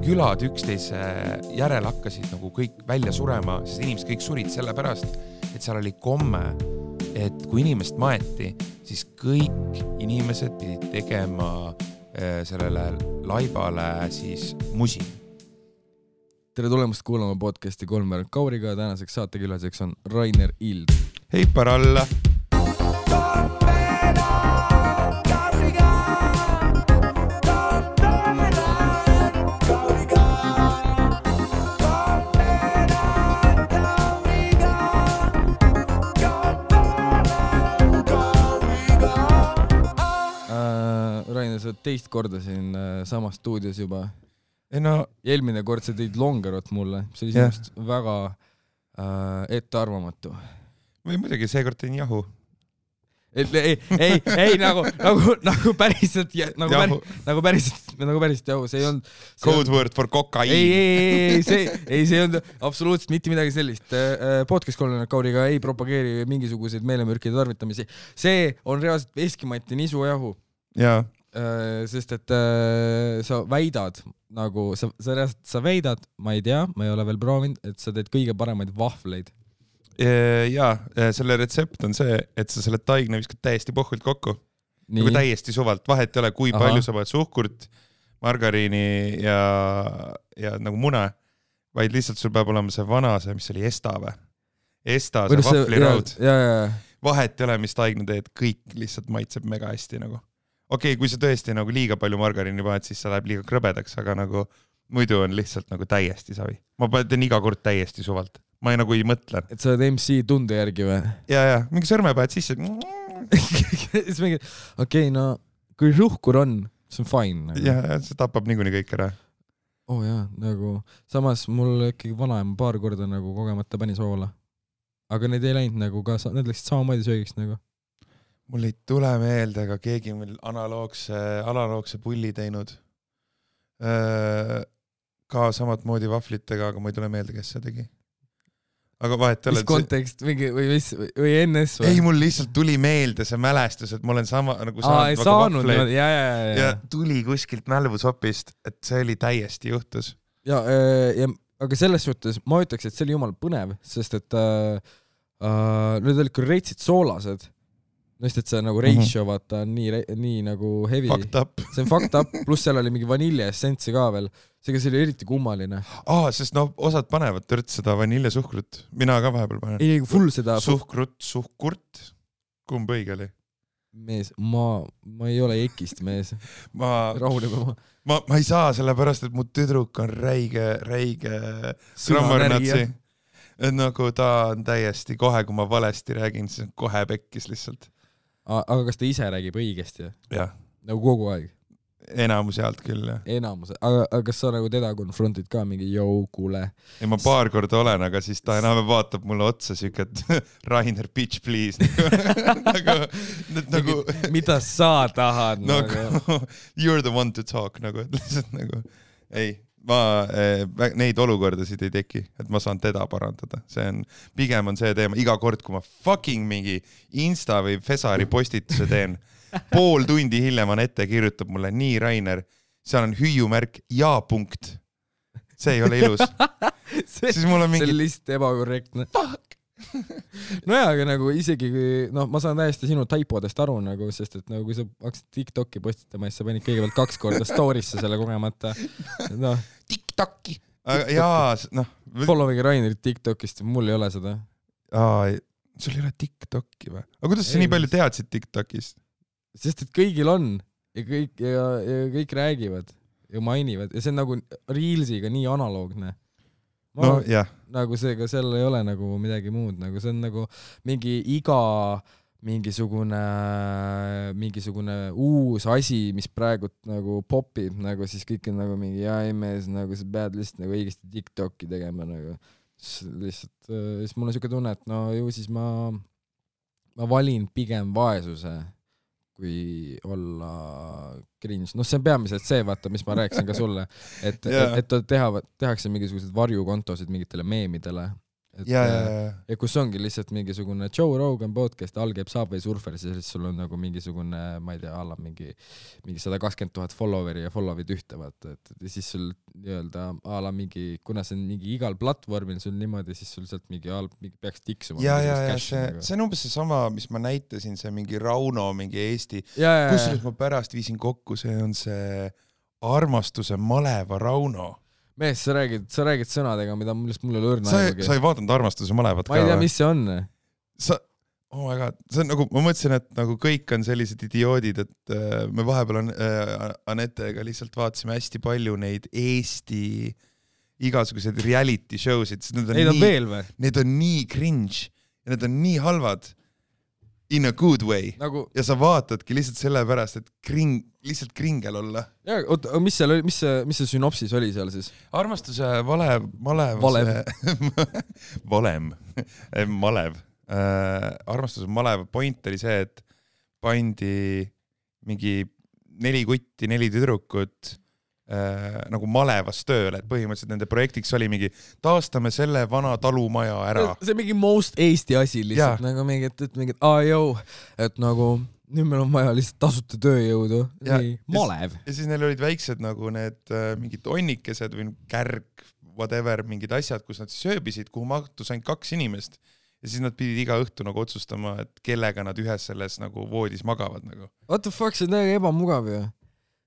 külad üksteise järel hakkasid nagu kõik välja surema, sest inimesed kõik surid selle pärast, et seal oli komme, et kui inimest maeti, siis kõik inimesed pidid tegema sellele laibale siis musi. Tere tulemast kuulama podcasti Kolmveerand Kauriga. Tänaseks saatekülaseks on Rainer Ild. Hei paralla! Rainer, sa teist korda siin samas stuudios juba. No, Eelmine kord sa teid longerot mulle. See oli sinust väga ettearvamatu. või muidugi seekord teen jahu. Ei, nagu päriselt nagu päriselt jahu. See ei olnud... Code word for kokaiin. See ei olnud absoluutselt mitte midagi sellist. Podcast Kolmveerand Kauriga ei propageeri mingisuguseid meelemürkide tarvitamisi. See on reaalselt veskimati nisujahu. Jaa. Sest et sa väidad nagu sa väidad, ma ei tea, ma ei ole veel proovinud, et sa teed kõige paremaid vahvleid. Jaa, selle retsept on see, et sa selle taigna viskad täiesti pohvult kokku. Nagu täiesti suvalt, vahet ei ole, kui palju sa paned suhkurt, margariini ja nagu mune, vaid lihtsalt sul peab olema see vana, see, mis oli Esta või? Esta, see vahvliraud. Vahet ei ole, mis taigna teed, kõik lihtsalt maitseb mega hästi nagu. Okei, kui sa tõesti nagu liiga palju margariini paned, siis sa läheb liiga krõbedaks, aga nagu muidu on lihtsalt nagu täiesti savi. Ma teen iga kord täiesti suvalt. Ma nagu ei mõtle. Et sa oled MC tunde järgi või? Ja, mingi sõrme paned sisse. Okei, no kui suhkur on, see on fine. Nagu. Ja, see tapab niikuinii kõik ära. Jaa, nagu samas mul ikkagi vanaema paar korda nagu kogemata pani soola. Aga need ei läinud nagu ka, need läksid samamoodi söögiks nagu. Mul ei tule meelde, aga keegi meil analoogse pulli teinud. Ka samat moodi vahvlitega, aga ma ei tule meelde, kes see tegi. Aga vahet mis kontekst või NS või? Ei, mul lihtsalt tuli meelde see mälestus, et ma olen saanud vahvleid. Ja tuli kuskilt mälvusopist, et see oli täiesti juhtus. Aga selles suhtes ma ütleks, et see oli jumal põnev, sest et need olid küll reitsid soolased. Nõist, et see nagu ratio vaata on nii nagu heavy. Fucked up. See on fucked up, pluss seal oli mingi vaniljeessentsi ka veel. Seega see oli eriti kummaline. Sest osad panevad tõrt seda vaniljesuhkrut. Mina ka vahepeal panen. Ei, full seda... Suhkurt. Kumb õige oli? Mees, ma ei ole ekist, mees. Rahuleme ma ei saa sellepärast, et mu tüdruk on räige grammarnatsi. Et nagu ta on täiesti kohe, kui ma valesti räägin, siis on kohe pekkis lihtsalt. Aga kas ta ise räägib õigesti? Jah. Nagu kogu aeg? Enamus jaalt küll, jah. Enamus. Aga kas sa nagu teda konfrontid ka mingi kuule? Ei, ma paar korda olen, aga siis ta enam vaatab mulle otsa siuke, et Rainer, bitch, please. nagu, mida sa tahad? You're the one to talk. Nagu, lihtsalt nagu, ei. Neid olukordasid ei teki, et ma saan teda parandada. Pigem on see teema, iga kord, kui ma fucking mingi Insta või Fesari postituse teen, pool tundi hiljem on ette kirjutab mulle nii Rainer, seal on hüüumärk ja punkt. See ei ole ilus. Siis mul on mingi... See on lihtsalt ebakorrektne. Fuck! No jaa, aga nagu isegi ma saan täiesti sinu taipodest aru nagu, sest et nagu kui sa hakkasid TikToki postitama, siis sa panid kõigepealt 2 korda storisse selle kogemata. TikToki! Jaa, Following Rainerit TikTokist, mul ei ole seda. Sul ei ole TikToki või? Aga kuidas sa nii palju teadsid TikTokist? Sest et kõigil on ja kõik räägivad ja mainivad ja see on nagu Reelsiga nii analoogne. Nagu seega seal ei ole nagu midagi muud, nagu see on nagu mingisugune uus asi, mis praegu nagu popib, nagu siis kõik on nagu mingi mees, nagu sa pead lihtsalt nagu õigesti TikToki tegema nagu. Lihtsalt, siis mul on siuke tunne, et ju siis ma valin pigem vaesuse kui olla cringe. See on peamiselt see, vaata, mis ma rääkisin ka sulle, et tehakse mingisugused varjukontosid mingitele meemidele ja kus ongi lihtsalt mingisugune Joe Rogan podcast, all käib Subway Surfer, siis sul on nagu mingisugune, ma ei tea, alla mingi 120,000 followeri ja follow'id ühte, vaata, et siis sul nii-öelda alla mingi, kuna see on mingi igal platvormil sul niimoodi, siis sul sealt mingi peaks tiksuma. Ja see on umbes see sama, mis ma näitasin, see mingi Rauno, mingi Eesti, kus ma pärast viisin kokku, see on see Armastuse maleva Rauno. Mees, sa räägid sõnadega, millest mul ei ole õrna aegugi. Sa ei vaadanud Armastuse malevat ka? Ma ei tea, mis see on. Oh my god, see on nagu, ma mõtlesin, et nagu kõik on sellised idioodid, et me vahepeal Anetega lihtsalt vaatasime hästi palju neid Eesti igasuguseid reality show'sid. Neid on veel või? Need on nii cringe ja need on nii halvad in a good way. Ja sa vaatadki lihtsalt selle pärast, et lihtsalt kringel olla. Ja, oota, mis see synopsis oli seal siis? Armastuse malev. Armastuse malev point oli see, et pandi mingi 4 kutti, 4 tüdrukut nagu malevas tööle, et põhimõtteliselt nende projektiks oli mingi taastame selle vana talumaja ära. See mingi most Eesti asi lihtsalt, nagu mingid et nagu nüüd meil on vaja lihtsalt tasuta tööjõudu, malev. Ja siis neil olid väiksed nagu need mingid onnikesed või kärg, whatever, mingid asjad, kus nad siis ööbisid, kuhu mahtus ainult 2 inimest. Ja siis nad pidid iga õhtu nagu otsustama, et kellega nad ühes selles nagu voodis magavad nagu. What the fuck, see on täiega ebamugav ju.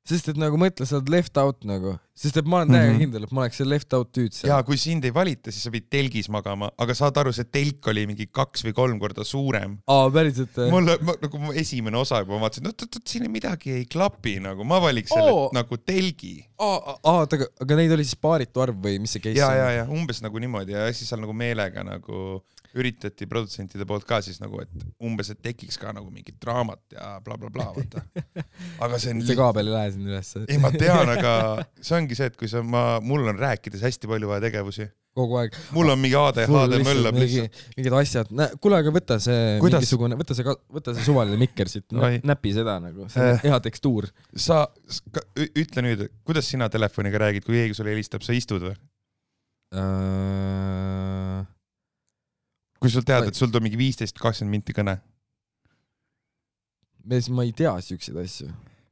Sest et nagu mõtle, sa oled left out nagu. Sest et ma olen täiega kindel, et ma oleks see left out tüüd seal. Ja kui sind ei valita, siis sa pidid telgis magama, aga saad aru, see telk oli mingi 2 või 3 korda suurem. Päris, et... Nagu esimene osa juba vaatasin, siin midagi ei klapi nagu, ma valiks selle nagu telgi. Aga neid oli siis paaritu arv või mis see case on? Ja, umbes nagu niimoodi ja siis seal nagu meelega nagu üritati produtsentide poolt ka siis nagu, et umbes, et tekiks ka nagu mingit draamat ja blablabla, vaata. Aga see on... See kaabel ei lähe siin üles. Ei, ma tean, aga see ongi see, et kui mul on rääkides hästi palju vaja tegevusi. Kogu aeg. Mul on mingi ADHD möllab lihtsalt. Mingid asjad. Kuule, aga võta see suvaline mikker siit, näpi seda nagu. See on hea tekstuur. Sa ütle nüüd, kuidas sina telefoniga räägid, kui keegi sulle helistab, sa istud või? Kui sul tead, et sul tuleb mingi 15-20 minti kõne? Ma ei tea siukseid asju.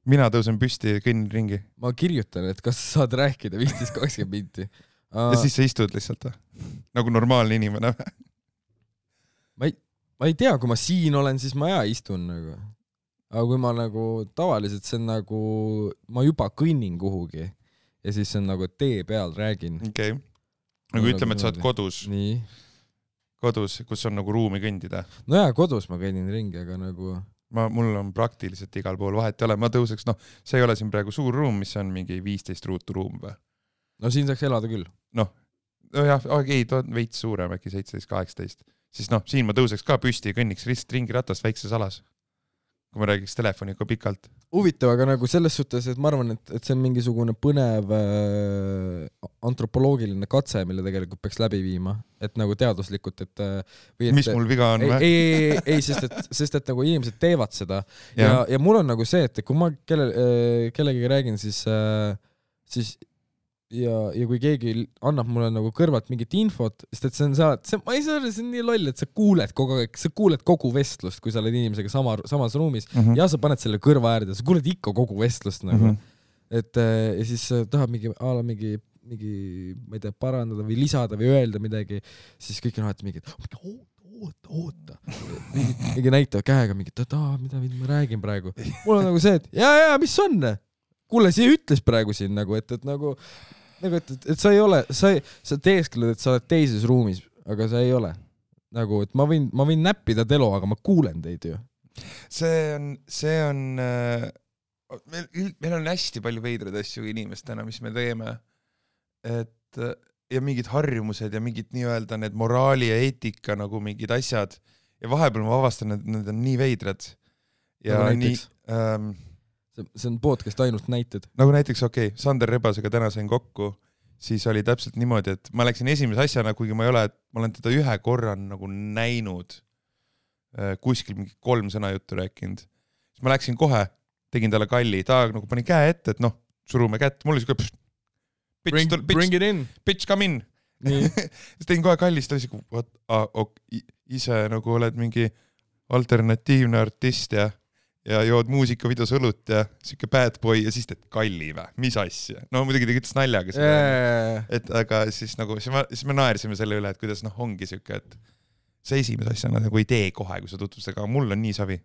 Mina tõusen püsti ja kõnnin ringi. Ma kirjutan, et kas sa saad rääkida 15-20 minti. Ja siis sa istud lihtsalt nagu normaalne inimene. Ma ei tea, kui ma siin olen, siis ma istun nagu. Aga kui ma nagu tavaliselt see on nagu, ma juba kõnnin kuhugi ja siis see on nagu tee peal räägin. Okei. Nagu ütleme, et sa oled kodus. Nii. Kodus, kus on nagu ruumi kõndida. No jaa, kodus ma kõnnin ringi, aga nagu... Mul on praktiliselt igal pool vahet ei ole. Ma tõuseks, see ei ole siin praegu suur ruum, mis on mingi 15 ruutu ruum või? No siin saaks elada küll. Veits suurem, äkki 17-18. Siis siin ma tõuseks ka püsti ja kõnniks lihtsalt ringi ratast väikses alas. Kui ma räägiks telefoniga pikalt. Huvitav, aga nagu selles suhtes, et ma arvan, et see on mingisugune põnev antropoloogiline katse, mille tegelikult peaks läbi viima. Et nagu teaduslikult, mis mul viga on? Ei, sest et nagu inimesed teevad seda. Ja mul on nagu see, et kui ma kellegi räägin, siis ja kui keegi annab mulle nagu kõrvalt mingit infot, sest et see on nii loll, et sa kuuled kogu vestlust, kui sa oled inimesega samas ruumis ja sa paned selle kõrva äärde, sa kuuled ikka kogu vestlust nagu. Et ja siis tahab mingi, ma ei tea, parandada või lisada või öelda midagi, siis kõik on alati mingi, oota. Mingi näitavad käega mingi, mida ma räägin praegu. Mul on nagu see, et ja, mis on? Kuule, siia ütles praegu siin nagu, et nagu et sa ei ole, sa teeskled, et sa oled teises ruumis, aga sa ei ole. Nagu, et ma võin näppida telo, aga ma kuulen teid ju. See on meil on hästi palju veidraid asju inimestena, mis me teeme. Ja mingid harjumused ja mingid nii-öelda need moraali ja eetika nagu mingid asjad. Ja vahepeal ma avastan, et need on nii veidrad. Ja nagu nii... See on podcast ainult näited. Nagu näiteks, Sander Rebasega täna sain kokku, siis oli täpselt niimoodi, et ma läksin esimese asjana, kuigi ma olen teda ühe korra nagu näinud, kuskil mingi 3 sõna juttu rääkinud. Siis ma läksin kohe, tegin talle kalli, ta nagu pani käe ette, et surume kätt, mul oli siuke bring it in. Bitch, come in. siis tegin kohe kallist asja, ise nagu oled mingi alternatiivne artist ja jood muusikavideos õlut ja siuke bad boy ja siis teed kalli või, mis asja? No muidugi ta ütles naljaga seda, et aga siis nagu, siis me naersime selle üle, et kuidas ongi siuke, et see esimese asjana nagu ei tee kohe, kui sa tutvustad, aga mul on nii savi.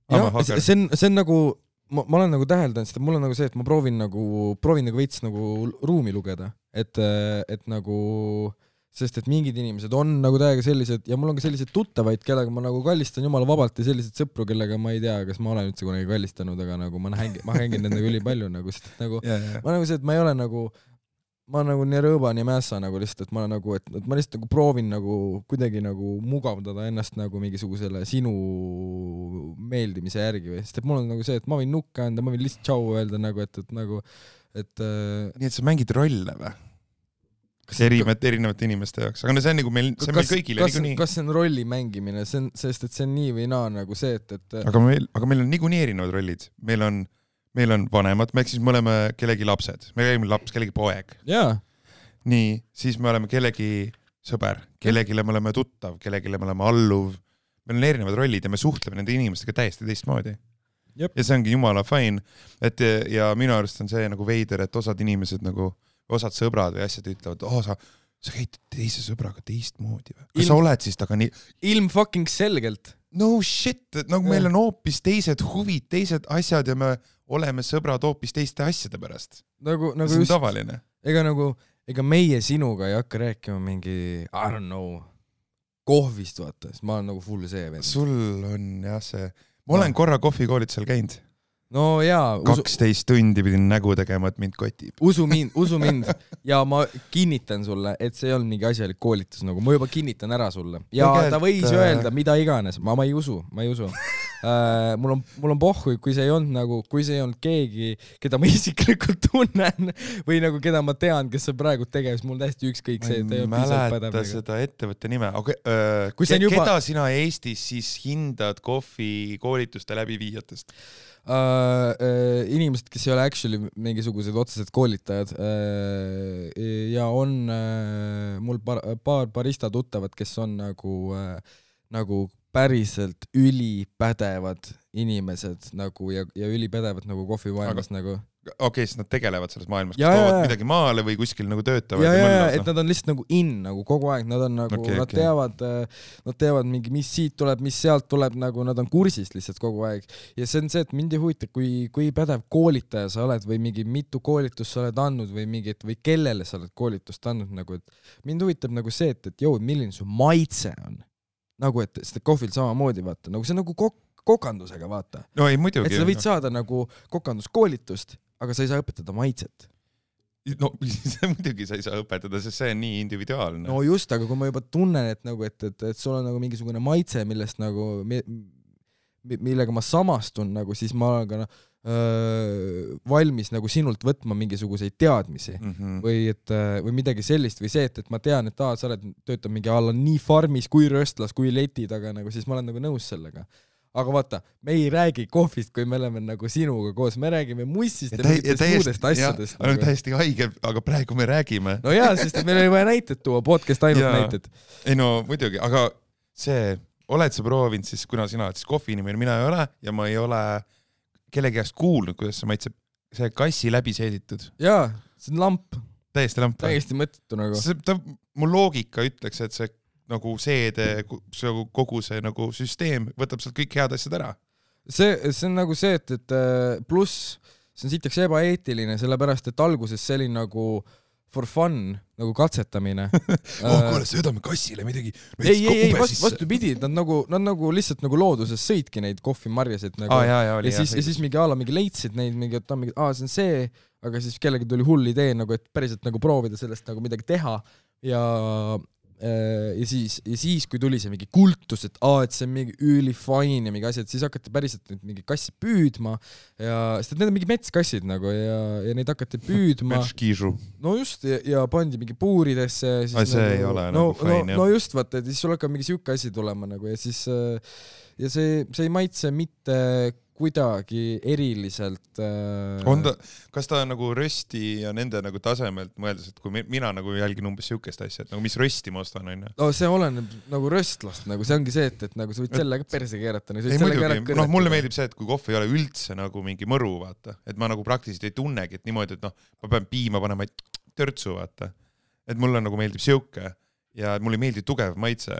See on nagu, ma olen nagu täheldanud seda, mul on nagu see, et ma proovin nagu veits nagu ruumi lugeda, et nagu, sest et mingid inimesed on nagu täiega sellised ja mul on ka sellised tuttavaid, kellega ma nagu kallistan jumala vabalt ja sellised sõpru, kellega ma ei tea, kas ma olen üldse kunagi kallistanud, aga nagu ma hängin nendega ülipalju nagu, sest nagu ma nagu see, et ma ei ole nagu ma nagu nii rõõba, nii mässa nagu lihtsalt, et ma nagu, et ma lihtsalt nagu proovin nagu kuidagi nagu mugavdada ennast nagu mingisugusele sinu meeldimise järgi või, sest et mul on nagu see, et ma võin nukka anda, ma võin lihtsalt tšau öelda nagu, et nii et sa mängid rolle või? Erinevate inimeste jaoks, aga no see on nagu meil, see on meil kõigile niikuinii. Kas see on rolli mängimine, sest et see on nii või naa nagu see, et aga meil on niikuinii erinevad rollid, meil on vanemad, me siis me oleme kellegi lapsed, me oleme laps, kellegi poeg. Jaa. Nii, siis me oleme kellegi sõber, kellegile me oleme tuttav, kellegile me oleme alluv, meil on erinevad rollid ja me suhtleme nende inimestega täiesti teistmoodi. Jep. Ja see ongi jumala fine, et ja minu arust on see nagu veider, et osad inimesed nagu osad sõbrad või asjad ütlevad, sa käid teise sõbraga teistmoodi või? Kas sa oled siis taga nii? Ilm fucking selgelt. No shit, nagu meil on hoopis teised huvid, teised asjad ja me oleme sõbrad hoopis teiste asjade pärast. Nagu see on just, tavaline. Ega meie sinuga ei hakka rääkima mingi, I don't know, kohvist vaata, sest ma olen nagu full see vend. Sul on jah see, ma olen korra kohvikoolitusel käinud. No jaa. 12 tundi pidin nägu tegema, et mind kotib. Usu mind. Ja ma kinnitan sulle, et see on mingi asjalik koolitus, nagu ma juba kinnitan ära sulle. Ja ta võis öelda mida iganes, ma ei usu. Mul on pohhu, kui see ei olnud keegi, keda ma isiklikult tunnen või nagu keda ma tean, kes on praegu tegevis, mul täiesti ükskõik see. Ma mäleta seda ettevõtte nime. Keda sina Eestis siis hindad kohvi koolituste läbiviijatest? Inimesed, kes ei ole actually mingisugused otsesed koolitajad ja on mul paar barista tuttavad, kes on nagu päriselt ülipädevad inimesed nagu ja ülipädevad nagu kohvimaailmas nagu. Okei, siis nad tegelevad selles maailmas, kas toovad midagi maale või kuskil nagu töötavad. Ja, et nad on lihtsalt nagu nagu kogu aeg, nad on nagu, nad teavad mingi, mis siit tuleb, mis sealt tuleb, nagu nad on kursist lihtsalt kogu aeg. Ja see on see, et mind ei huvita, kui pädev koolitaja sa oled või mingi mitu koolitust sa oled andnud või kellele sa oled koolitust andnud, nagu, et mind huvitab nagu see, et milline su maitse on. Nagu, et seda kohvil samamoodi vaata, nagu see on nagu kokandusega vaata. No ei, muidugi. Et sa võid saada nagu kokanduskoolitust, aga sa ei saa õpetada maitset. No muidugi sa ei saa õpetada, sest see on nii individuaalne. No just, aga kui ma juba tunnen, et sul on nagu mingisugune maitse, millest nagu, millega ma samastun, nagu, siis ma olen ka valmis nagu sinult võtma mingisuguseid teadmisi või midagi sellist või see, et ma tean, et sa töötab mingi alla nii farmis kui röstlas kui leti taga, nagu, siis ma olen nagu nõus sellega. Aga vaata, me ei räägi kohvist, kui me oleme nagu sinuga koos, me räägime mussist ja mingitest muudest asjadest. Nagu. Täiesti haige, aga praegu me räägime. No jaa, sest meil oli vaja näited tuua, podcast ainult näited. Ei no muidugi, aga see, oled sa proovinud siis, kuna sina oled siis kohvi inimene, mina ei ole ja ma ei ole kellegi käest kuulnud, kuidas see maitseb, see kassi läbi seeditud. Jaa, see on lamp. Täiesti lamp. Täiesti mõttetu nagu. Mu loogika ütleks, et see nagu seede, kogu see nagu süsteem võtab sealt kõik head asjad ära. See on nagu see, et pluss see on sitaks ebaeetiline, sellepärast, et alguses see oli nagu for fun, nagu katsetamine. Kuule, söödame kassile midagi. Ei, vastupidi, nad nagu lihtsalt nagu looduses sõidki neid kohvimarjasid nagu. Ja siis mingi mingi leidsid neid, see on see, aga siis kellegi tuli hull idee, nagu, et päriselt nagu proovida sellest nagu midagi teha ja siis, kui tuli see mingi kultus, et see on mingi ülifine ja mingi asjad, siis hakati päriselt mingi kassi püüdma ja sest need on mingi metskassid nagu ja neid hakati püüdma. Metskiisu. No just, ja pandi mingi puuridesse. See nagu, ei ole nagu fine. No just, vaata, et siis sul hakkab mingi siuke asi tulema nagu ja siis ja see ei maitse mitte kuidagi eriliselt kas ta nagu rösti ja nende nagu tasemelt mõeldes, et kui mina nagu jälgin umbes siukest asja, et nagu mis rösti ma ostan, on ju? No see oleneb nagu röstlast, nagu see ongi see, et nagu sa võid sellega perse keerata. Ei muidugi, mulle meeldib see, et kui kohv ei ole üldse nagu mingi mõru, vaata, et ma nagu praktiliselt ei tunnegi, et niimoodi, et ma pean piima panema törtsu, vaata. Et mulle nagu meeldib siuke ja mulle ei meeldi tugev maitse.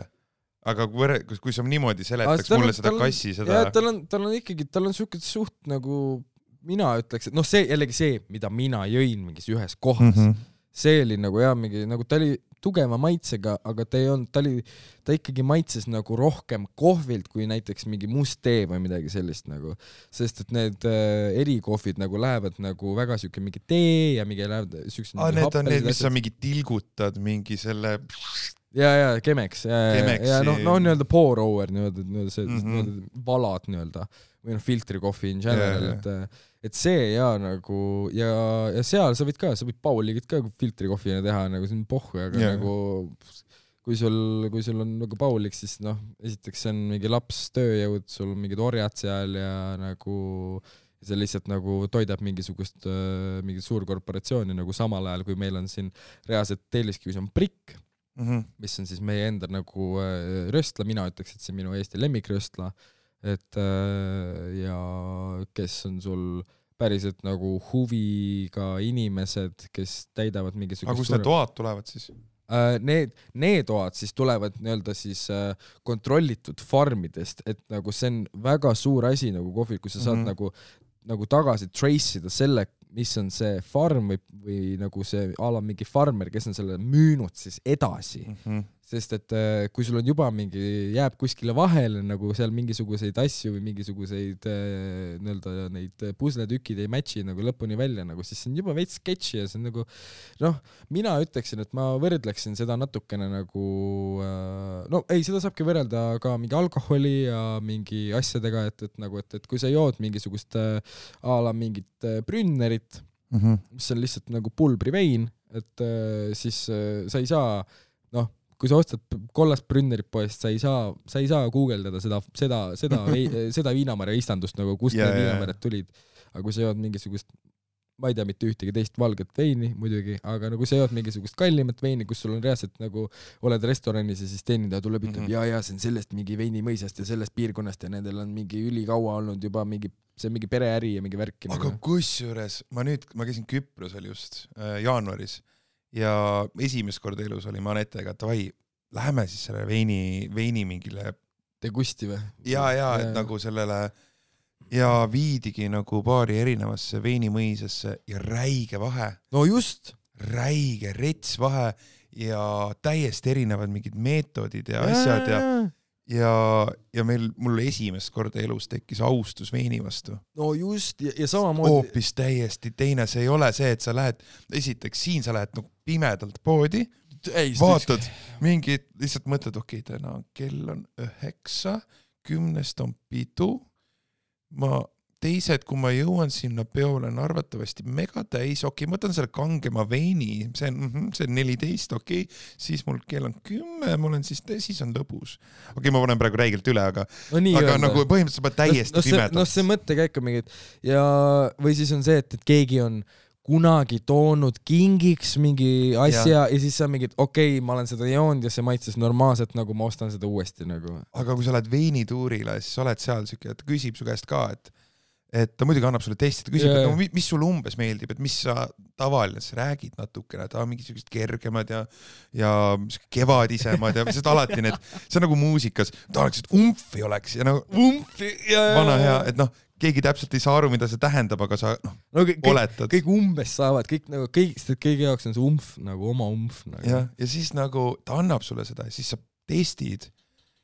Aga kui sa niimoodi seletaks mulle seda kassi, seda... Ja tal on ikkagi, tal on suht nagu, mina ütleks, et see jällegi see, mida mina jõin mingis ühes kohas. See oli nagu mingi, nagu ta oli tugeva maitsega, aga ta ikkagi maitses nagu rohkem kohvilt kui näiteks mingi must tee või midagi sellist nagu. Sest et need erikohvid nagu lähevad nagu väga siuke mingi tee ja mingi lähevad siuksed... Need on need, mis sa mingi tilgutad mingi selle... Ja Chemex ja nii-öelda pour over nii-öelda valad nii-öelda või filtrikohvi in general, et see nagu ja seal sa võid Pauligit ka filtrikohvina teha nagu see on pohhu, aga nagu kui sul on nagu Paulik, siis esiteks see on mingi laps tööjõud, sul on mingid orjad seal ja nagu see lihtsalt nagu toidab mingit suurkorporatsiooni nagu samal ajal, kui meil on siin reaalselt Telliskivis on Prikk, mis on siis meie enda nagu röstla, mina ütleks, et see on minu Eesti lemmikröstla, et ja kes on sul päriselt nagu huviga inimesed, kes täidavad mingisugust... Aga kus need toad tulevad siis? Need toad siis tulevad nii-öelda siis kontrollitud farmidest, et nagu see on väga suur asi nagu kohvil, kui sa saad nagu tagasi trace'ida selle, mis on see farm või nagu see ala mingi farmer, kes on selle müünud siis edasi. Sest et kui sul on juba mingi, jääb kuskile vahele nagu seal mingisuguseid asju või mingisuguseid nii-öelda neid pusletükid ei matchi nagu lõpuni välja, nagu, siis see on juba veits sketši ja see on nagu, mina ütleksin, et ma võrdleksin seda natukene nagu, seda saabki võrrelda ka mingi alkoholi ja mingi asjadega, et kui sa jood mingisugust ala mingit Brünnerit, mis on lihtsalt nagu pulbrivein, et siis sa ei saa, kui sa ostad kollast Brünnerit poest, sa ei saa guugeldada seda viinamarja istandust, nagu kust need viinamarjad tulid. Aga kui sa jood mingisugust, ma ei tea mitte ühtegi teist valget veini muidugi, aga nagu sa jood mingisugust kallimat veini, kus sul on reaalselt nagu oled restoranis ja siis teenindaja tuleb ütleb, ja see on sellest mingi veinimõisast ja sellest piirkonnast ja nendel on mingi ülikaua olnud juba see on mingi pereäri ja mingi värk. Aga kusjuures, ma käisin Küprosel just jaanuaris ja esimest korda elus oli Manetega, et läheme siis selle veini mingile degusti või? Ja, et nagu sellele ja viidigi nagu paari erinevasse veinimõisasse ja räige vahe. No just! Räige, rets vahe ja täiesti erinevad mingid meetodid ja asjad ja mul esimest korda elus tekkis austus veini vastu. No just, ja samamoodi... Hoopis täiesti teine, see ei ole see, et sa lähed, esiteks siin sa lähed nagu pimedalt poodi, vaatad mingid, lihtsalt mõtled, okei, täna kell on 9, 10 on pidu, teised, kui ma jõuan sinna peole, on arvatavasti mega täis, okei, ma võtan selle kangema veini, see on 14, okei, siis mul kell on 10, mul on siis on lõbus. Okei, ma panen praegu räigelt üle, aga nagu põhimõtteliselt ma täiesti pimedalt. See mõttekäik on mingid, või siis on see, et keegi on kunagi toonud kingiks mingi asja ja siis sa mingid, okei, ma olen seda joonud ja see maitses normaalselt, nagu ma ostan seda uuesti nagu. Aga kui sa oled veinituurile, siis sa oled seal siuke, et küsib su käest ka, et ta muidugi annab sulle testida, küsib, et mis sulle umbes meeldib, et mis sa tavaline räägid natukene, et mingisugused kergemad ja kevadisemad ja seda alati see on nagu muusikas, tahaks, et umfi oleks ja nagu umfi vana hea, et keegi täpselt ei saa aru, mida see tähendab, aga sa oletad. Kõik umbes saavad, kõigi jaoks on see umf, nagu oma umf. Nagu. Ja siis nagu ta annab sulle seda ja siis sa testid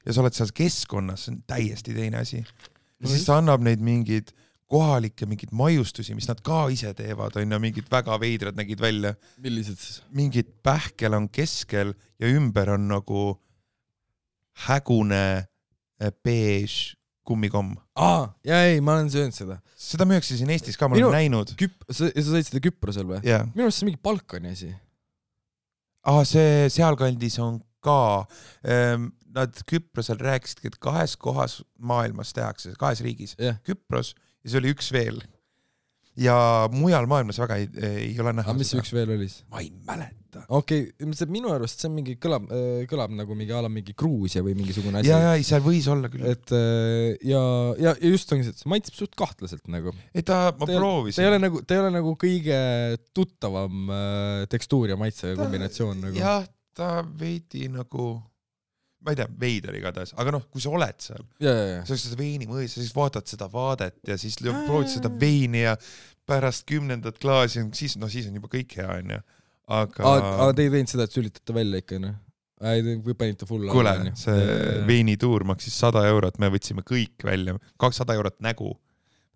ja sa oled seal keskkonnas, see on täiesti teine asi. Ja siis ta annab neid mingid kohalikke mingid maiustusi, mis nad ka ise teevad, on ja mingid väga veidrad nägid välja. Millised siis? Mingid pähkel on keskel ja ümber on nagu hägune beige kummikomm. Ma olen söönud seda. Seda müüakse siin Eestis ka, ma olen näinud. Sa said seda Küprosel või? Yeah. Minu arust see mingi Balkani asi. See sealkandis on ka. Nad Küprosel rääkisid, et 2 kohas maailmas tehakse, 2 riigis. Yeah. Küpros ja siis oli üks veel. Ja mujal maailmas väga ei ole näha. Mis üks veel oli? Ma ei mäleta. Okei, minu arust see on mingi kõlab nagu mingi Gruusia või mingisugune asi. Ja seal võis olla küll. Et ja just ongi see, et see maitseb suht kahtlaselt nagu. Ma proovisin. Ta ei ole nagu kõige tuttavam tekstuur ja maitse kombinatsioon nagu. Jah, ta veidi nagu ma ei tea, veider igatahes, aga kui sa oled seal, sa oled seda veini mõis ja siis vaatad seda vaadet ja siis proovid seda veini ja pärast 10. klaasi, siis on juba kõik hea, onju. Aga te ei teinud seda, et sülitate välja ikka, või panite full kuule, see veinituur maksis 100 €, me võtsime kõik välja, 200 € nägu,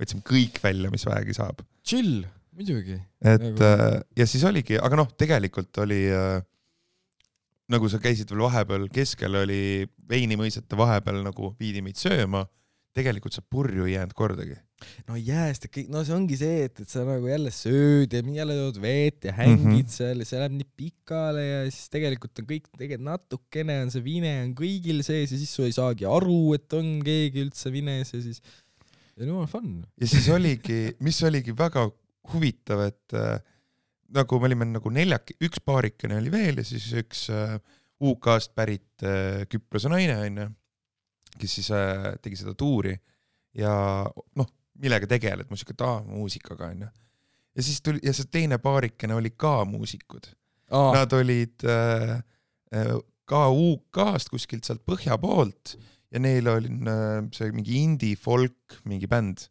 võtsime kõik välja, mis vähegi saab. Chill, muidugi. Ja siis oligi, aga tegelikult oli nagu sa käisid veel vahepeal, keskel oli veinimõisete vahepeal nagu viidi meid sööma, tegelikult sa purju ei jäänud kordagi. No jääst, see ongi see, et sa nagu jälle sööd ja jälle tood veet ja hängid seal ja see läheb nii pikale ja siis tegelikult on kõik, natukene on see vine on kõigil sees ja siis su ei saagi aru, et on keegi üldse vines ja siis ja nüüd on fun. Ja siis oligi, mis oligi väga huvitav, et nagu me olime nagu üks paarikene oli veel ja siis üks UK-st pärit Küprose naine, kes siis tegi seda tuuri ja millega tegeled, muusikaga. Ja siis tuli, ja see teine paarikene oli ka muusikud. Nad olid ka UK-st kuskilt sealt põhja poolt ja neil oli see mingi indie folk, mingi bänd.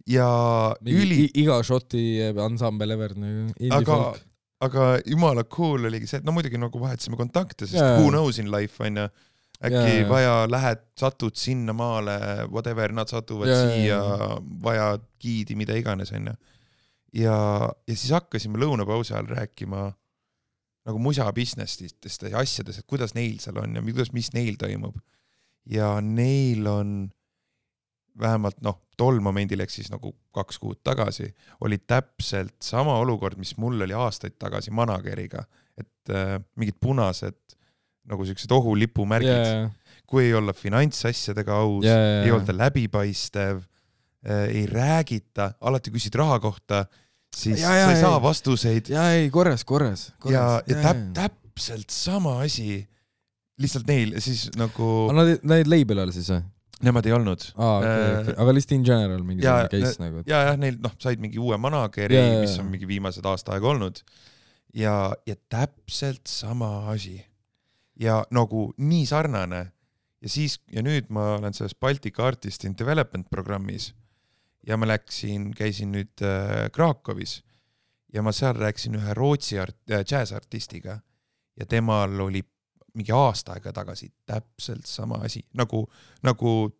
Ja iga šoti ansambel ever aga jumala cool oligi see, et muidugi nagu vahetasime kontakte, sest who knows in life on ja äkki vaja satud sinna maale, whatever, nad satuvad siia, vaja giidi, mida iganes on ja siis hakkasime lõunapausi ajal rääkima nagu musa businessist ja asjadest, et kuidas neil seal on ja mis neil toimub ja neil on vähemalt tol momendil, ehk siis nagu 2 kuud tagasi, oli täpselt sama olukord, mis mul oli aastaid tagasi manageriga, et mingid punased nagu sellised ohulipumärgid, kui ei olla finantsasjadega aus, ei olda läbipaistev, ei räägita, alati küsid raha kohta, siis sa ei saa vastuseid. Korras. Ja täpselt sama asi, lihtsalt neil, siis nagu... Nad label all siis või? Nemad ei olnud. Okay. Aga lihtsalt in general mingi case nagu. Ja neil said mingi uue manageri, mis on mingi viimased aasta aega olnud. Ja täpselt sama asi. Ja nagu nii sarnane. Ja nüüd ma olen selles Baltic Artist in Development programmis. Ja ma käisin nüüd Krakowis. Ja ma seal rääkisin ühe Rootsi jazz-artistiga. Ja temal oli mingi aasta aega tagasi täpselt sama asi, nagu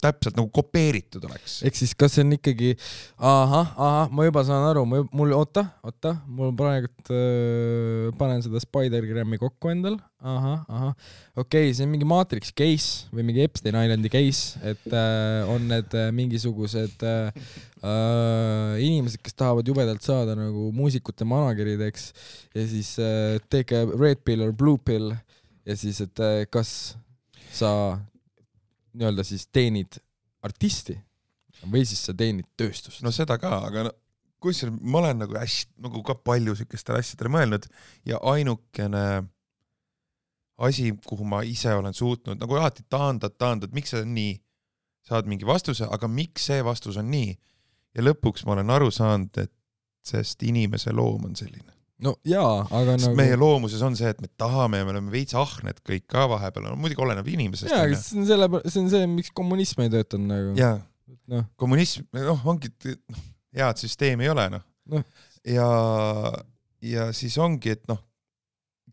täpselt nagu kopeeritud oleks. Ehk siis kas see on ikkagi ma juba saan aru, mul mul praegu panen seda Spider-Grammi kokku endal. Okei, see on mingi Matrix case või mingi Epstein Islandi case, et on need mingisugused inimesed, kes tahavad jubedalt saada nagu muusikute managerideks ja siis take a red pill or blue pill ja siis, et kas sa nii-öelda siis teenid artisti või siis sa teenid tööstust? No seda ka, aga kusjuures ma olen nagu ka palju sükestele asjadele mõelnud ja ainukene asi, kuhu ma ise olen suutnud, nagu alati taandad, miks see on nii? Saad mingi vastuse, aga miks see vastus on nii? Ja lõpuks ma olen aru saanud, et sest inimese loom on selline. No jaa, aga sest nagu... meie loomuses on see, et me tahame ja me oleme veits ahned kõik ka vahepeal, muidugi oleneb inimesest. Jaa, see on see, miks kommunism ei töötanud nagu. Jaa, kommunism, ongi, head süsteemi ei ole, ja siis ongi, et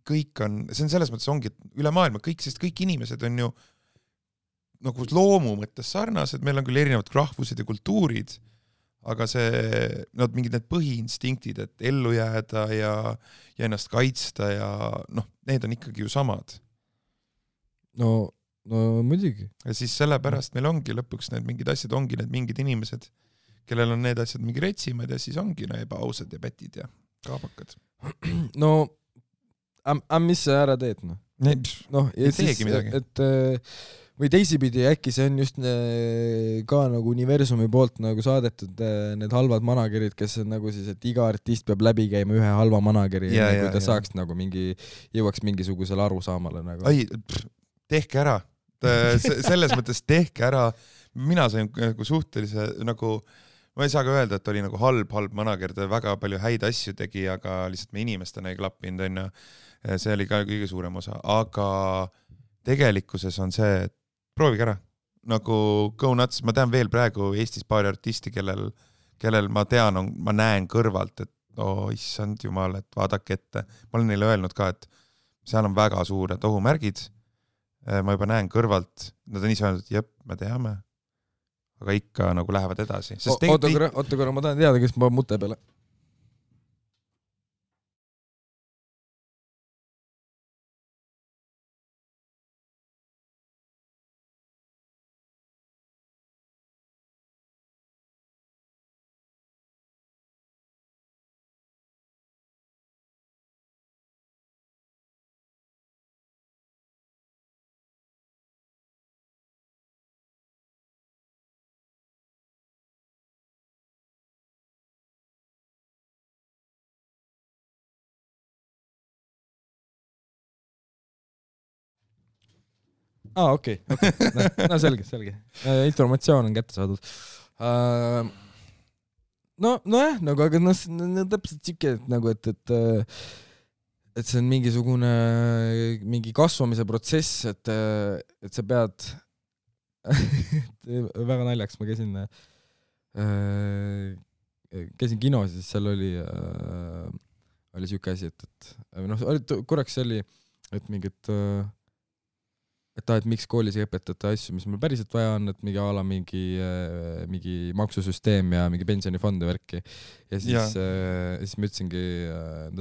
kõik on, see on selles mõttes ongi, et üle maailma kõik inimesed on ju nagu loomu mõttes sarnased, meil on küll erinevad rahvused ja kultuurid, aga mingid need põhiinstinktid, et ellu jääda ja ennast kaitsta ja need on ikkagi ju samad. No muidugi. Ja siis sellepärast meil ongi lõpuks need mingid asjad, ongi need mingid inimesed, kellel on need asjad mingi retsimad ja siis ongi ebaausad ja pätid ja kaabakad. No, mis sa ära teed? Ei teegi midagi. Et või teisipidi äkki see on just ka nagu universumi poolt nagu saadetud need halvad managerid, kes on nagu siis, et iga artist peab läbi käima ühe halva manageri, kui ta saaks nagu jõuaks mingisugusele arusaamale nagu. Tehke ära. Selles mõttes tehke ära. Mina sain nagu suhtelise nagu ma ei saa ka öelda, et oli nagu halb manager, ta väga palju häid asju tegi, aga lihtsalt me inimestena ei klappinud, on ju. See oli ka kõige suurem osa, aga tegelikkuses on see, et proovige ära. Nagu go nuts, ma tean veel praegu Eestis paari artisti, kellel ma tean, ma näen kõrvalt, et issand jumal, et vaadake ette. Ma olen neile öelnud ka, et seal on väga suured ohumärgid. Ma juba näen kõrvalt, nad on ise öelnud, et jep, me teame. Aga ikka nagu lähevad edasi. Oota korra, ma tahan teada, kes ma mute peale. Okei. No selge. Informatsioon on kätte saadud. Nojah, nagu, aga täpselt siuke, nagu, et see on mingi kasvamise protsess, et sa pead väga naljaks, ma käisin kinos, siis seal oli siuke asi, et korraks oli, et mingit et miks koolis ei õpetata asju, mis meil päriselt vaja on, et mingi maksusüsteem ja mingi pensionifond ja värki. Ja siis ma ütlesingi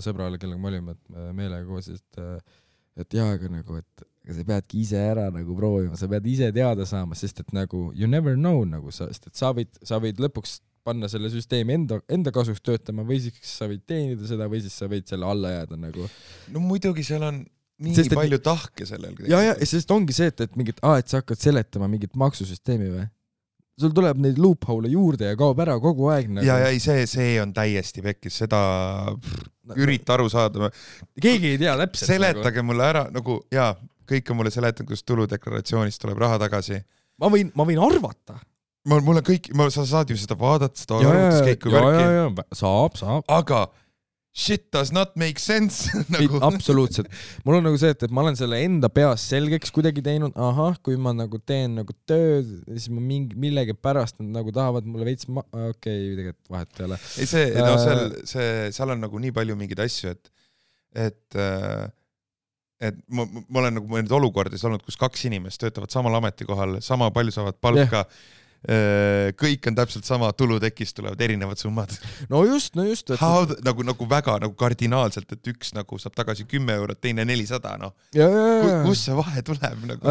sõbrale, kellega me olime, et meelega koos, et aga nagu, et sa peadki ise ära nagu proovima, sa pead ise teada saama, sest et nagu you never know, nagu sest et sa võid lõpuks panna selle süsteemi enda kasuks töötama või siis sa võid teenida seda või siis sa võid selle alla jääda nagu. No muidugi seal on nii palju tahke sellel. Ja, sest ongi see, et mingit, et sa hakkad seletama mingit maksusüsteemi või? Sul tuleb neid loophole juurde ja kaob ära kogu aeg. Nagu. Ja see on täiesti pekkis, seda ürita aru saada. Keegi ei tea täpselt. Seletage nagu. Mulle ära, nagu kõik on mulle seletanud, kus tuludeklaratsioonist tuleb raha tagasi. Ma võin arvata. Mul on kõik, sa saad ju seda vaadata, seda arvutuskäiku värki. Ja, saab. Aga shit does not make sense. Nagu. Absoluutselt. Mul on nagu see, et ma olen selle enda peas selgeks kuidagi teinud, kui ma nagu teen nagu tööd, siis ma millegi pärast nad nagu tahavad mulle veits tegelikult vahet ei ole. Ei, seal on nagu nii palju mingeid asju, et ma olen nagu need olukordis olnud, kus 2 inimest töötavad samal ametikohal, sama palju saavad palka, kõik on täpselt sama, tulutekist tulevad erinevad summad. No just. Nagu väga nagu kardinaalselt, et üks nagu saab tagasi 10 €, teine 400, no. Kus see vahe tuleb? Nagu?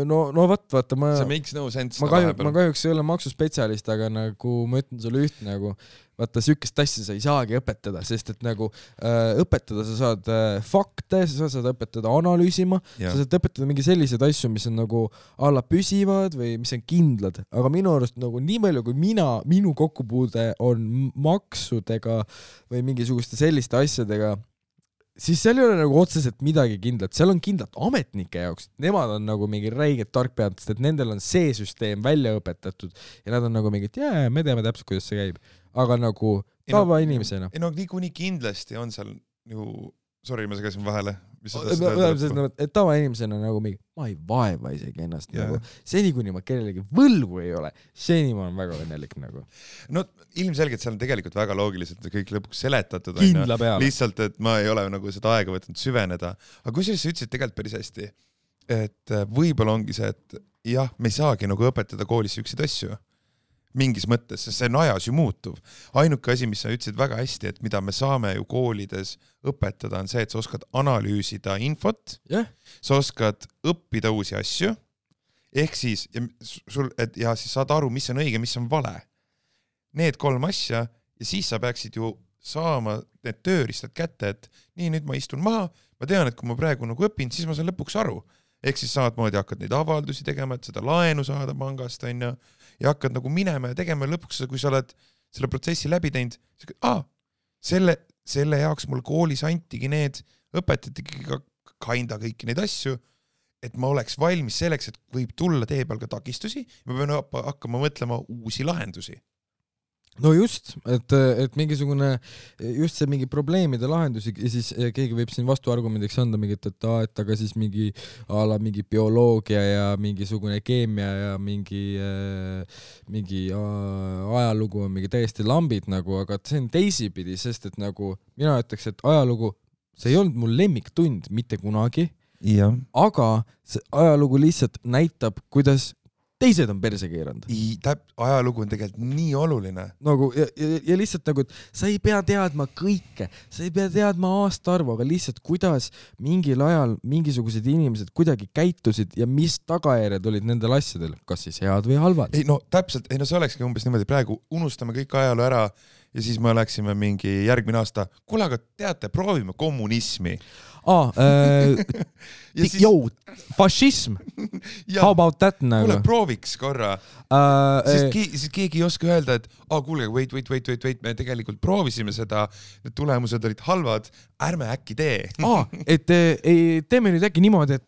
No vaata, see makes no sense. Ma kahjuks ei ole maksuspetsialist, aga nagu ma ütlen sulle üht nagu, vaata, sükest asja sa ei saagi õpetada, sest et nagu õpetada sa saad fakte, sa saad õpetada analüüsima, sa saad õpetada mingi selliseid asju, mis on nagu alla püsivad või mis on kindlad, aga minu arust nagu nii palju, kui minu kokkupuude on maksudega või mingisuguste selliste asjadega, siis seal ei ole nagu otseselt midagi kindlat, seal on kindlat ametnike jaoks, nemad on nagu mingi räiged tarkpead, sest et nendel on see süsteem välja õpetatud ja nad on nagu mingid, me teame täpselt, kuidas see käib. Aga nagu tava inimesena. Niikuinii kindlasti on seal ju, sorry, ma segasin vahele. Tava inimesena nagu mingi, ma ei vaeva isegi ennast nagu, seni kuni ma kellelegi võlgu ei ole, seni ma olen väga õnnelik nagu. No ilmselgelt seal on tegelikult väga loogiliselt kõik lõpuks seletatud. Kindla peale. Lihtsalt, et ma ei ole nagu seda aega võtnud süveneda. Aga kusjuures sa ütlesid tegelikult päris hästi, et võib-olla ongi see, et jah, me ei saagi nagu õpetada koolis üksid asju. Mingis mõttes, sest see on ajas ju muutuv. Ainuke asi, mis sa ütlesid väga hästi, et mida me saame ju koolides õpetada, on see, et sa oskad analüüsida infot, sa oskad õppida uusi asju, ehk siis, siis saad aru, mis on õige, mis on vale. Need 3 asja ja siis sa peaksid ju saama need tööriistad kätte, et nii, nüüd ma istun maha, ma tean, et kui ma praegu nagu õpin, siis ma saan lõpuks aru. ehk siis samamoodi hakkad neid avaldusi tegema, et seda laenu saada pangast, on ju, ja hakkad nagu minema ja tegema lõpuks, kui sa oled selle protsessi läbi teinud, selle jaoks mul koolis antigi need, õpetatigi ka kinda kõiki neid asju, et ma oleks valmis selleks, et võib tulla tee peal ka takistusi, ma pean hakkama mõtlema uusi lahendusi. No just, et mingisugune, just see mingi probleemide lahendusi ja siis keegi võib siin vastuargumendiks anda mingit, et aga siis mingi bioloogia ja mingisugune keemia ja mingi ajalugu on mingi täiesti lambid nagu, aga see on teisipidi, sest et nagu mina ütleks, et ajalugu, see ei olnud mul lemmiktund mitte kunagi, ja. Aga see ajalugu lihtsalt näitab, kuidas teised on perse keeranud. Ajalugu on tegelikult nii oluline. Nagu, ja lihtsalt nagu, et sa ei pea teadma kõike, sa ei pea teadma aastaarvu, aga lihtsalt kuidas mingil ajal mingisugused inimesed kuidagi käitusid ja mis tagajärjed olid nendel asjadel, kas siis head või halvad. Ei, no täpselt, no see olekski umbes niimoodi, praegu unustame kõik ajalu ära ja siis me oleksime mingi järgmine aasta, kuule, aga teate, proovime kommunismi. Fašism. How about that nagu? Kuule, prooviks korra. Siis keegi ei oska öelda, et kuule, wait, me tegelikult proovisime seda, need tulemused olid halvad, ärme äkki tee. Et teeme nüüd äkki niimoodi,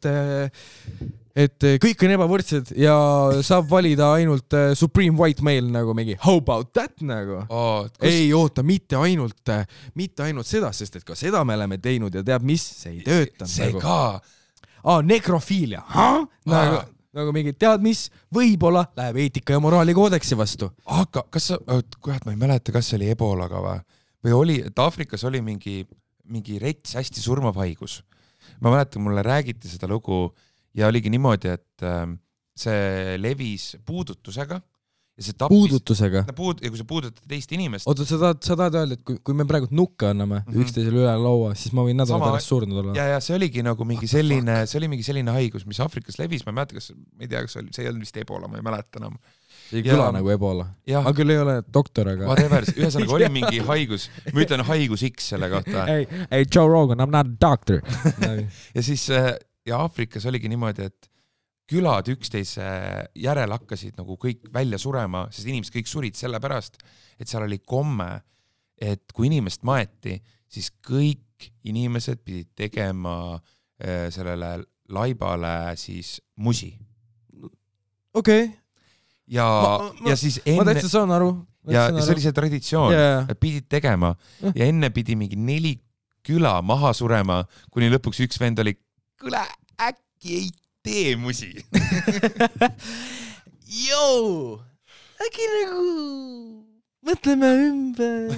et kõik on ebavõrdsed ja saab valida ainult supreme white male nagu mingi how about that nagu. Ei oota, mitte ainult seda, sest et ka seda me oleme teinud ja teab mis, see ei tööta. See nagu. Ka. Nekrofiilia. Nagu mingi tead mis, võib-olla läheb eetika ja moraali koodeksi vastu. Aga kas ma ei mäleta, kas see oli ebolaga või oli, et Aafrikas oli mingi rets hästi surmav haigus. Ma mäletan, mulle räägiti seda lugu ja oligi niimoodi, et see levis puudutusega ja see tappis... Puudutusega? Ja kui sa puudutad teist inimest... Oota, sa tahad öelda, et kui me praegu nukke anname üksteisele üle laua, siis ma võin nädala pärast surnud olla. Ja see oligi nagu mingi selline haigus, mis Aafrikas levis, ma ei mäleta, ma ei tea, kas see ei olnud vist ebola, ma ei mäleta enam. See ei kõla nagu ebola. Aga küll ei ole doktor, aga... Whatever, ühesõnaga oli mingi haigus, ma ütlen haigus X selle kohta. Hey, Joe Rogan, I'm not a doctor. Ja siis... Ja Aafrikas oligi niimoodi, et külad üksteise järel hakkasid nagu kõik välja surema, sest inimesed kõik surid selle pärast, et seal oli komme, et kui inimest maeti, siis kõik inimesed pidid tegema sellele laibale siis musi. Okei. Ja siis enne... Ma täitsa saan aru. Ja see oli see traditsioon, et pidid tegema ja enne pidi mingi 4 küla maha surema, kuni lõpuks üks vend oli kuule, äkki ei tee musi. Äkki nagu mõtleme ümber.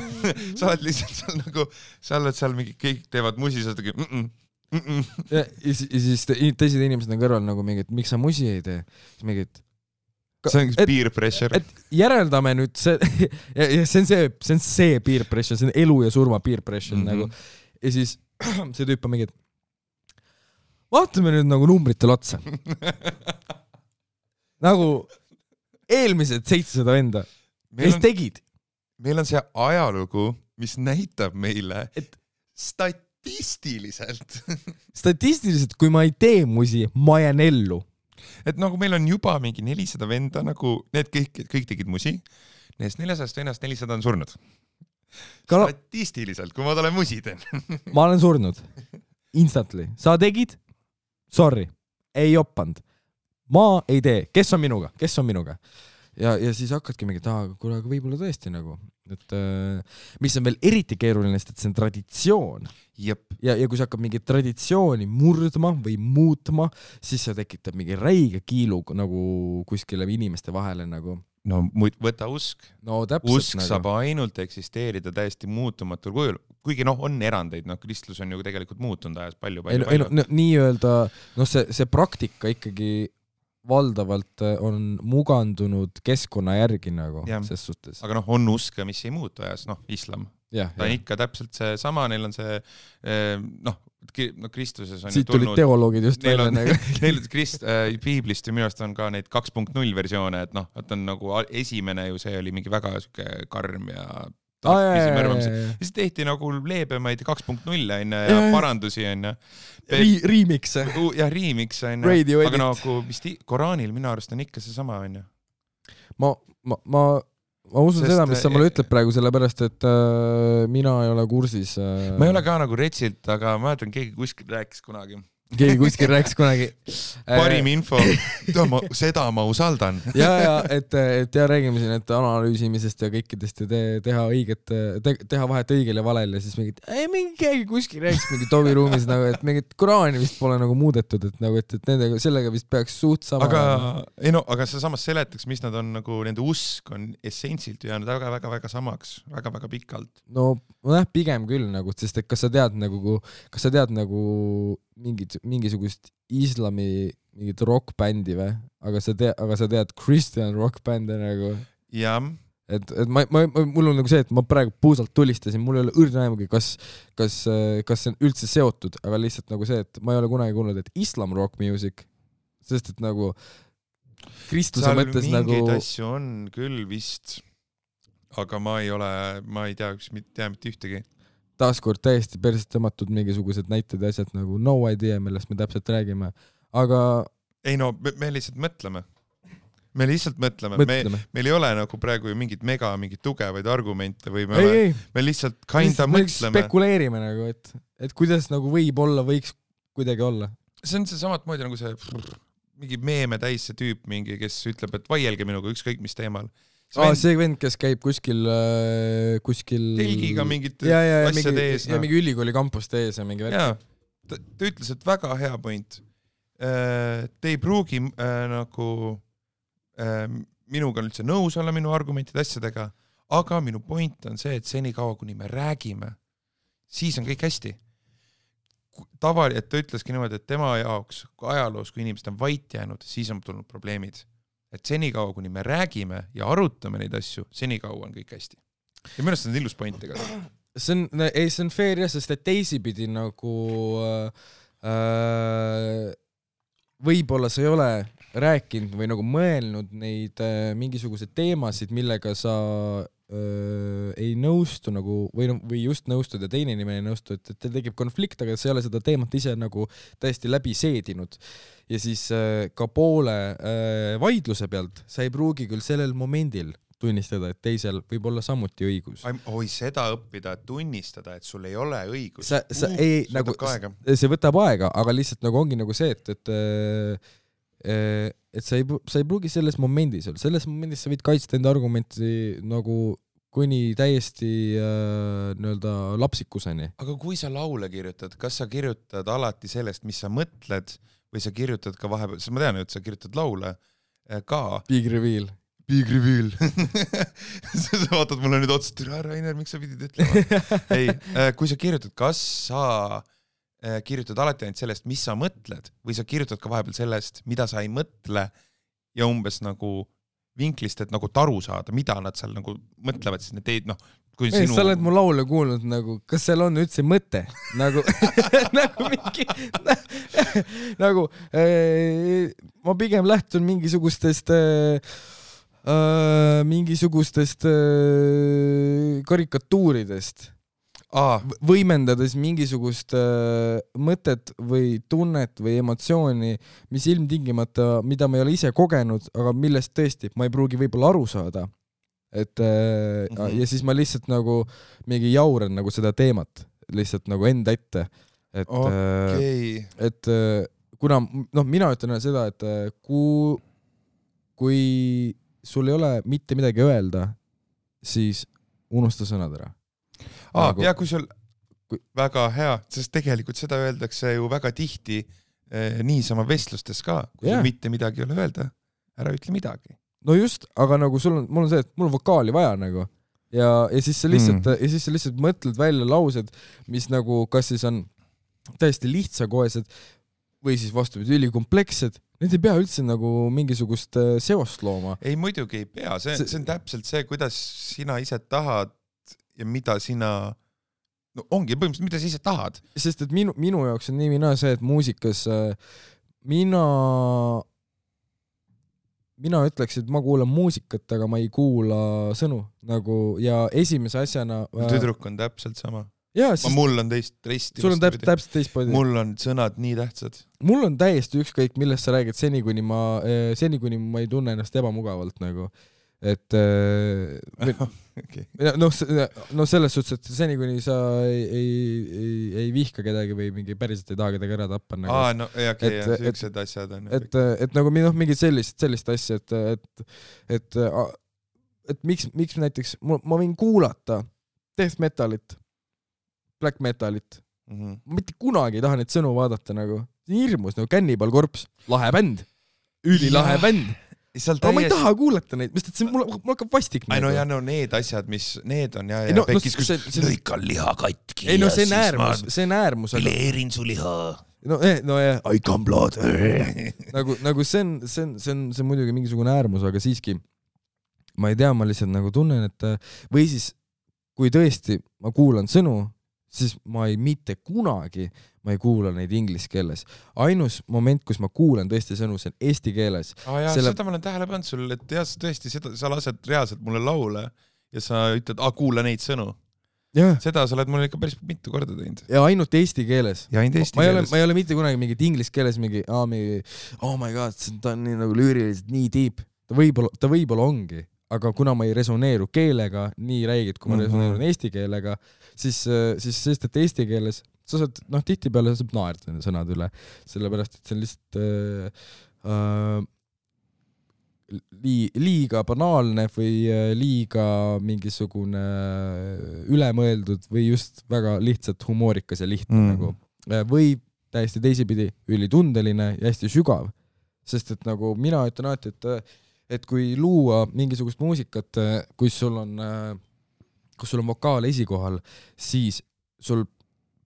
Sa oled lihtsalt seal nagu, sa oled seal mingi, kõik teevad musi, sa oled ja siis teised inimesed on kõrval nagu mingid, miks sa musi ei tee? Mingid, see on peer pressure. Et järeldame nüüd see, ja see on see peer pressure, see on elu ja surma peer pressure nagu. Ja siis see tüüp on mingid, vaatame nüüd nagu numbritel otsa. Nagu eelmised 700 venda, mis tegid? Meil on see ajalugu, mis näitab meile, et statistiliselt, kui ma ei tee musi, ma jään ellu. Et nagu meil on juba mingi 400 venda, nagu need kõik tegid musi, neist 400 vennast 400 on surnud. Statistiliselt, kui ma olen musi teen. Ma olen surnud. Instantly. Sa tegid? Sorry, ei oppanud. Ma ei tee. Kes on minuga? Ja siis hakkadki mingi, kuule, aga võib-olla tõesti nagu. Et, mis on veel eriti keeruline, sest et see on traditsioon. Jep. Ja kui sa hakkad mingi traditsiooni murdma või muutma, siis see tekitab mingi räige kiilu nagu kuskile inimeste vahele nagu. No võta usk. No täpselt usk nagu. Saab ainult eksisteerida täiesti muutumatul kujul. Kuigi on erandeid, kristlus on ju tegelikult muutunud ajas palju. Nii öelda, see praktika ikkagi valdavalt on mugandunud keskkonna järgi nagu ses suhtes. Aga on usk, mis ei muutu ajas, islam. Ta on ikka täpselt see sama, neil on see, Kristuses on siit tulid teoloogid just välja. Neil piiblist ju minu arust on ka neid 2.0 versioone, et on nagu esimene ju see oli mingi väga karm ja siis tehti nagu leebemaid 2.0 ja parandusi onju. Remix. Ja remix onju. Aga nagu Koraanil minu arust on ikka seesama onju. Ma usun seda, mis sa mulle ütled praegu, sellepärast, et mina ei ole kursis. Ma ei ole ka nagu retsilt, aga ma mäletan, keegi kuskil rääkis kunagi. Parim info, seda ma usaldan. et räägime siin, et analüüsimisest ja kõikidest ja teha õiget, teha vahet õigel ja valel ja siis mingi keegi kuskil rääkis mingi Tobi ruumis, nagu, et mingit Koraani vist pole nagu muudetud, et nagu, et nendega, sellega vist peaks suht sama. Aga sa samas seletaks, mis nad on nagu, nende usk on essentsilt jäänud väga-väga samaks, väga-väga pikalt. No pigem küll nagu, sest et kas sa tead nagu mingisugust islami mingit rockbändi või? Aga sa tead Christian rockbände nagu? Jah. Et mul on nagu see, et ma praegu puusalt tulistasin, mul ei ole õrna aimugi, kas see on üldse seotud, aga lihtsalt nagu see, et ma ei ole kunagi kuulnud, et islam rock music, sest et nagu Kristuse mõttes nagu... mingeid asju on küll vist, aga ma ei tea mitte ühtegi. Taaskord täiesti persest tõmmatud mingisugused näited ja asjad nagu no idea, millest me täpselt räägime, aga... Ei no, me lihtsalt mõtleme. Meil ei ole nagu praegu ju mingit tugevaid argumente või me lihtsalt kinda mõtleme. Spekuleerime nagu, et kuidas nagu võiks kuidagi olla. See on see samat moodi nagu see mingi meeme täis see tüüp mingi, kes ütleb, et vaielge minuga ükskõik mis teemal. See vend, kes käib kuskil telgiga mingit asjade ees. Ja mingi ülikooli kampuste ees ja mingi värk. Ta ütles, et väga hea point. Te ei pruugi nagu minuga üldse nõus olla minu argumentide asjadega, aga minu point on see, et senikaua, kuni me räägime, siis on kõik hästi. Et ta ütleski niimoodi, et tema jaoks ajaloos, kui inimesed on vait jäänud, siis on tulnud probleemid. Et senikaua, kuni me räägime ja arutame neid asju, senikaua on kõik hästi. Ja minu arust on ilus point ega. See on fair jah, sest et teisipidi nagu võib-olla sa ei ole rääkinud või nagu mõelnud neid mingisugused teemasid, millega sa ei nõustu nagu, või just nõustud ja teine inimene ei nõustu, et teil tekib konflikt, aga sa ei ole seda teemat ise nagu täiesti läbi seedinud. Ja siis ka poole vaidluse pealt sa ei pruugi küll sellel momendil tunnistada, et teisel võib olla samuti õigus. Seda õppida, et tunnistada, et sul ei ole õigus. See võtab aega, aga lihtsalt nagu ongi nagu see, et sa ei pruugi selles momendis sa võid kaitsta enda argumenti nagu kuni täiesti nii-öelda lapsikuseni. Aga kui sa laule kirjutad, kas sa kirjutad alati sellest, mis sa mõtled või sa kirjutad ka vahepeal, ma tean, et sa kirjutad laule ka. Big reveal. Sa vaatad mulle nüüd otsast, Rainer, miks sa pidid ütlema? Ei, kui sa kirjutad, kas sa kirjutad alati ainult sellest, mis sa mõtled või sa kirjutad ka vahepeal sellest, mida sa ei mõtle ja umbes nagu vinklist, et nagu taru saada, mida nad seal nagu mõtlevad, siis need teid, Sa oled mu laule kuulnud nagu, kas seal on üldse mõte? Nagu, nagu ma pigem lähtun mingisugustest karikatuuridest, võimendades mingisugust mõtet või tunnet või emotsiooni, mis ilmtingimata, mida ma ei ole ise kogenud, aga millest tõesti ma ei pruugi võib-olla aru saada. Ja siis ma lihtsalt nagu mingi jauran nagu seda teemat lihtsalt nagu enda ette, et kuna mina ütlen seda, et kui sul ei ole mitte midagi öelda, siis unusta sõnad ära. Ja kui sul väga hea, sest tegelikult seda öeldakse ju väga tihti niisama vestlustes ka, kui sul mitte midagi ei ole öelda, ära ütle midagi. No just, aga nagu mul on see, et mul on vokaali vaja nagu ja siis sa lihtsalt mõtled välja laused, mis nagu kas siis on täiesti lihtsakoesed või siis vastupidi ülikomplekssed, need ei pea üldse nagu mingisugust seost looma. Ei, muidugi ei pea, see on täpselt see, kuidas sina ise tahad ja mida sina, ongi põhimõtteliselt, mida sa ise tahad. Sest et minu jaoks on nii see, et muusikas mina ütleks, et ma kuulan muusikat, aga ma ei kuula sõnu nagu ja esimese asjana tüdruk on täpselt sama. Jaa, mul on teist sul on täpselt teistpoodi. Mul on sõnad nii tähtsad. Mul on täiesti ükskõik, millest sa räägid seni, kuni ma ei tunne ennast ebamugavalt nagu. Et okay. no selles suhtes, et seni, kuni sa ei vihka kedagi või mingi päriselt ei taha kedagi ära tappa nagu. No okei, sellised asjad on. Et nagu mingi sellist asja, et miks näiteks ma võin kuulata death metalit, black metalit. Ma mitte kunagi ei taha neid sõnu vaadata nagu. Hirmus nagu Cannibal Corpse, lahe bänd, ülilahe bänd. Aga ma ei taha kuulata neid, mis see mul hakkab vastik. No ja need asjad, mis need on ja pekis, kus lõikan liha katki. Ei no see on äärmus. Fileerin su liha. No jah. I come blood. Nagu see on muidugi mingisugune äärmus, aga siiski ma ei tea, ma lihtsalt nagu tunnen, et või siis kui tõesti ma kuulan sõnu, siis ma mitte kunagi ma ei kuula neid inglise keeles. Ainus moment, kus ma kuulan tõesti sõnu, see on eesti keeles. Seda ma olen tähele pannud sul, et tõesti sa lased reaalselt mulle laule ja sa ütled, kuula neid sõnu. Ja. Seda sa oled mulle ikka päris mitu korda teinud. Ja ainult eesti keeles. Ja ainult eesti keeles. Ma ei ole mitte kunagi mingit inglise keeles oh my god, ta on nii nagu lüüriliselt nii deep. Ta võib-olla ongi, aga kuna ma ei resoneeru keelega nii räigid, kui ma resoneerun eesti keelega, siis sest, et eesti keeles sa saad, tihtipeale saab naerda sõnad üle, sellepärast, et see on lihtsalt liiga banaalne või liiga mingisugune ülemõeldud või just väga lihtsalt humoorikas ja lihtne nagu. Või täiesti teisipidi ülitundeline ja hästi sügav. Sest et nagu mina ütlen alati, et kui luua mingisugust muusikat, kus sul on vokaal esikohal, siis sul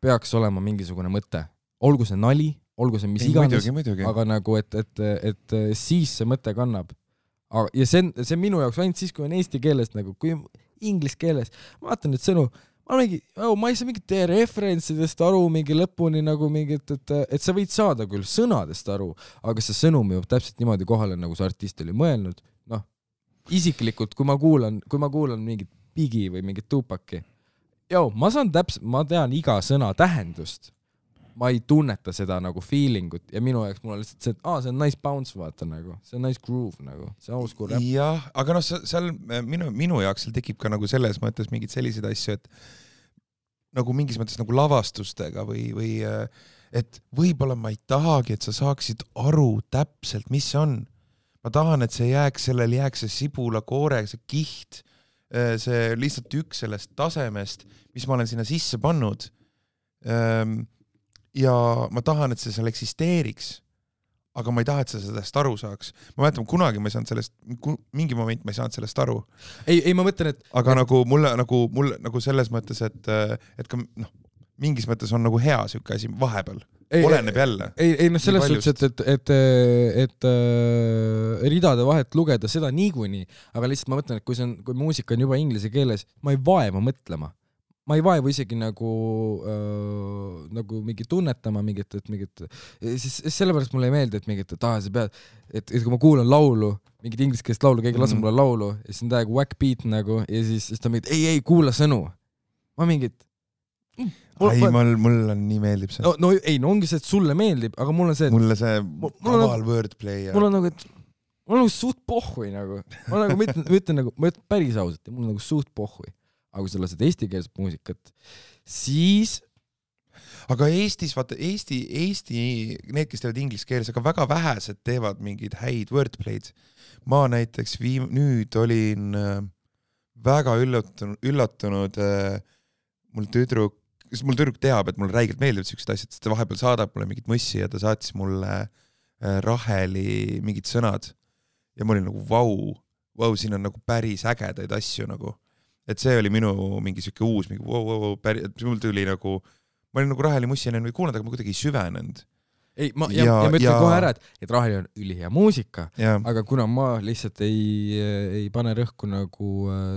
peaks olema mingisugune mõte. Olgu see nali, olgu see mis iganes, aga nagu, et siis see mõte kannab. Ja see minu jaoks ainult siis, kui on eesti keeles, nagu, kui inglise keeles, ma vaatan nüüd sõnu, ma ei saa mingit referentsidest aru mingi lõpuni, nagu mingit, et sa võid saada küll sõnadest aru, aga see sõnum jõuab täpselt niimoodi kohale, nagu see artist oli mõelnud. Isiklikult, kui ma kuulan mingit Bigi või mingit Tupaki, ma tean iga sõna tähendust. Ma ei tunneta seda nagu feelingut ja minu jaoks mul on lihtsalt see, et see on nice bounce, vaata nagu, see on nice groove nagu, see on school rap. Jah, aga seal minu jaoks seal tekib ka nagu selles mõttes mingid sellised asju, et nagu mingis mõttes nagu lavastustega või et võib-olla ma ei tahagi, et sa saaksid aru täpselt, mis see on. Ma tahan, et sellel jääks see sibula koore, see kiht, see lihtsalt üks sellest tasemest, mis ma olen sinna sisse pannud. Ja ma tahan, et see seal eksisteeriks, aga ma ei taha, et sa sellest aru saaks. Ma mäletan, kunagi ma ei saanud sellest, mingi moment ma ei saanud sellest aru. Ei, ma mõtlen, et... Aga nagu mulle selles mõttes, et ka mingis mõttes on nagu hea siuke asi vahepeal. Oleneb jälle. Ei, selles suhtes, et ridade vahet lugeda seda niikuinii, aga lihtsalt ma mõtlen, et kui muusika on juba inglise keeles, ma ei vaeva mõtlema. Ma ei vaevu isegi nagu mingi tunnetama mingit, siis sellepärast mulle ei meeldi, et mingit, et sa pead, et kui ma kuulan laulu, mingit ingliskeelest laulu, keegi laseb mulle laulu, ja siis on täiega whack beat nagu, ja siis ta mingit, ei, kuula sõnu. Ma mingit... Mulle nii meeldib see. No ongi see, et sulle meeldib, aga mulle see... Mulle see kaval wordplay. Mul on nagu suht pohhui nagu. Ma ütlen päris ausalt, mul on nagu suht pohhui. Aga kui sa lased eestikeelset muusikat, siis... Aga Eestis, vaata, Eesti, need, kes teevad inglise keeles, aga väga vähesed teevad mingid häid wordplay'd. Ma näiteks nüüd olin väga üllatunud mul tüdruk teab, et mul räigelt meeldivad sellised asjad, sest ta vahepeal saadab mulle mingit mussi ja ta saatis mulle Raheli mingid sõnad. Ja ma olin nagu, vau, siin on nagu päris ägedaid asju nagu. Et see oli minu mingi siuke uus, mingi mul tuli nagu, ma olin nagu Raheli mussi enne kuulanud, aga ma kuidagi ei süvenenud. ei, ma ütlen kohe ära, et Rahali on ülihea muusika, aga kuna ma lihtsalt ei pane rõhku nagu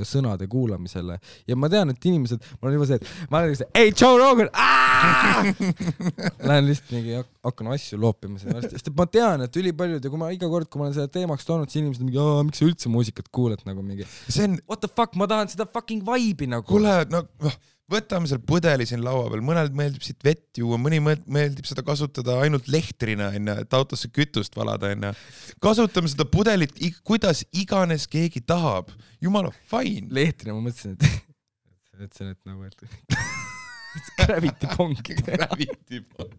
sõnade kuulamisele ja ma tean, et inimesed, ma olen juba see, et ma olen lihtsalt, ei, Joe Rogan, lähen lihtsalt mingi hakkan asju loopima seda, sest ma tean, et ülipaljud ja kui ma iga kord, kui ma olen seda teemaks toonud, siis inimesed on mingi, miks sa üldse muusikat kuuled nagu mingi, what the fuck, ma tahan seda fucking vibe'i nagu. Kuule, no võtame seal pudeli siin laua peal, mõnel meeldib siit vett juua, mõni meeldib seda kasutada ainult lehtrina, et autosse kütust valada. Kasutame seda pudelit, kuidas iganes keegi tahab. Jumala, fine. Lehtrina, ma mõtlesin, et nagu, et gravity pong. Gravity pong.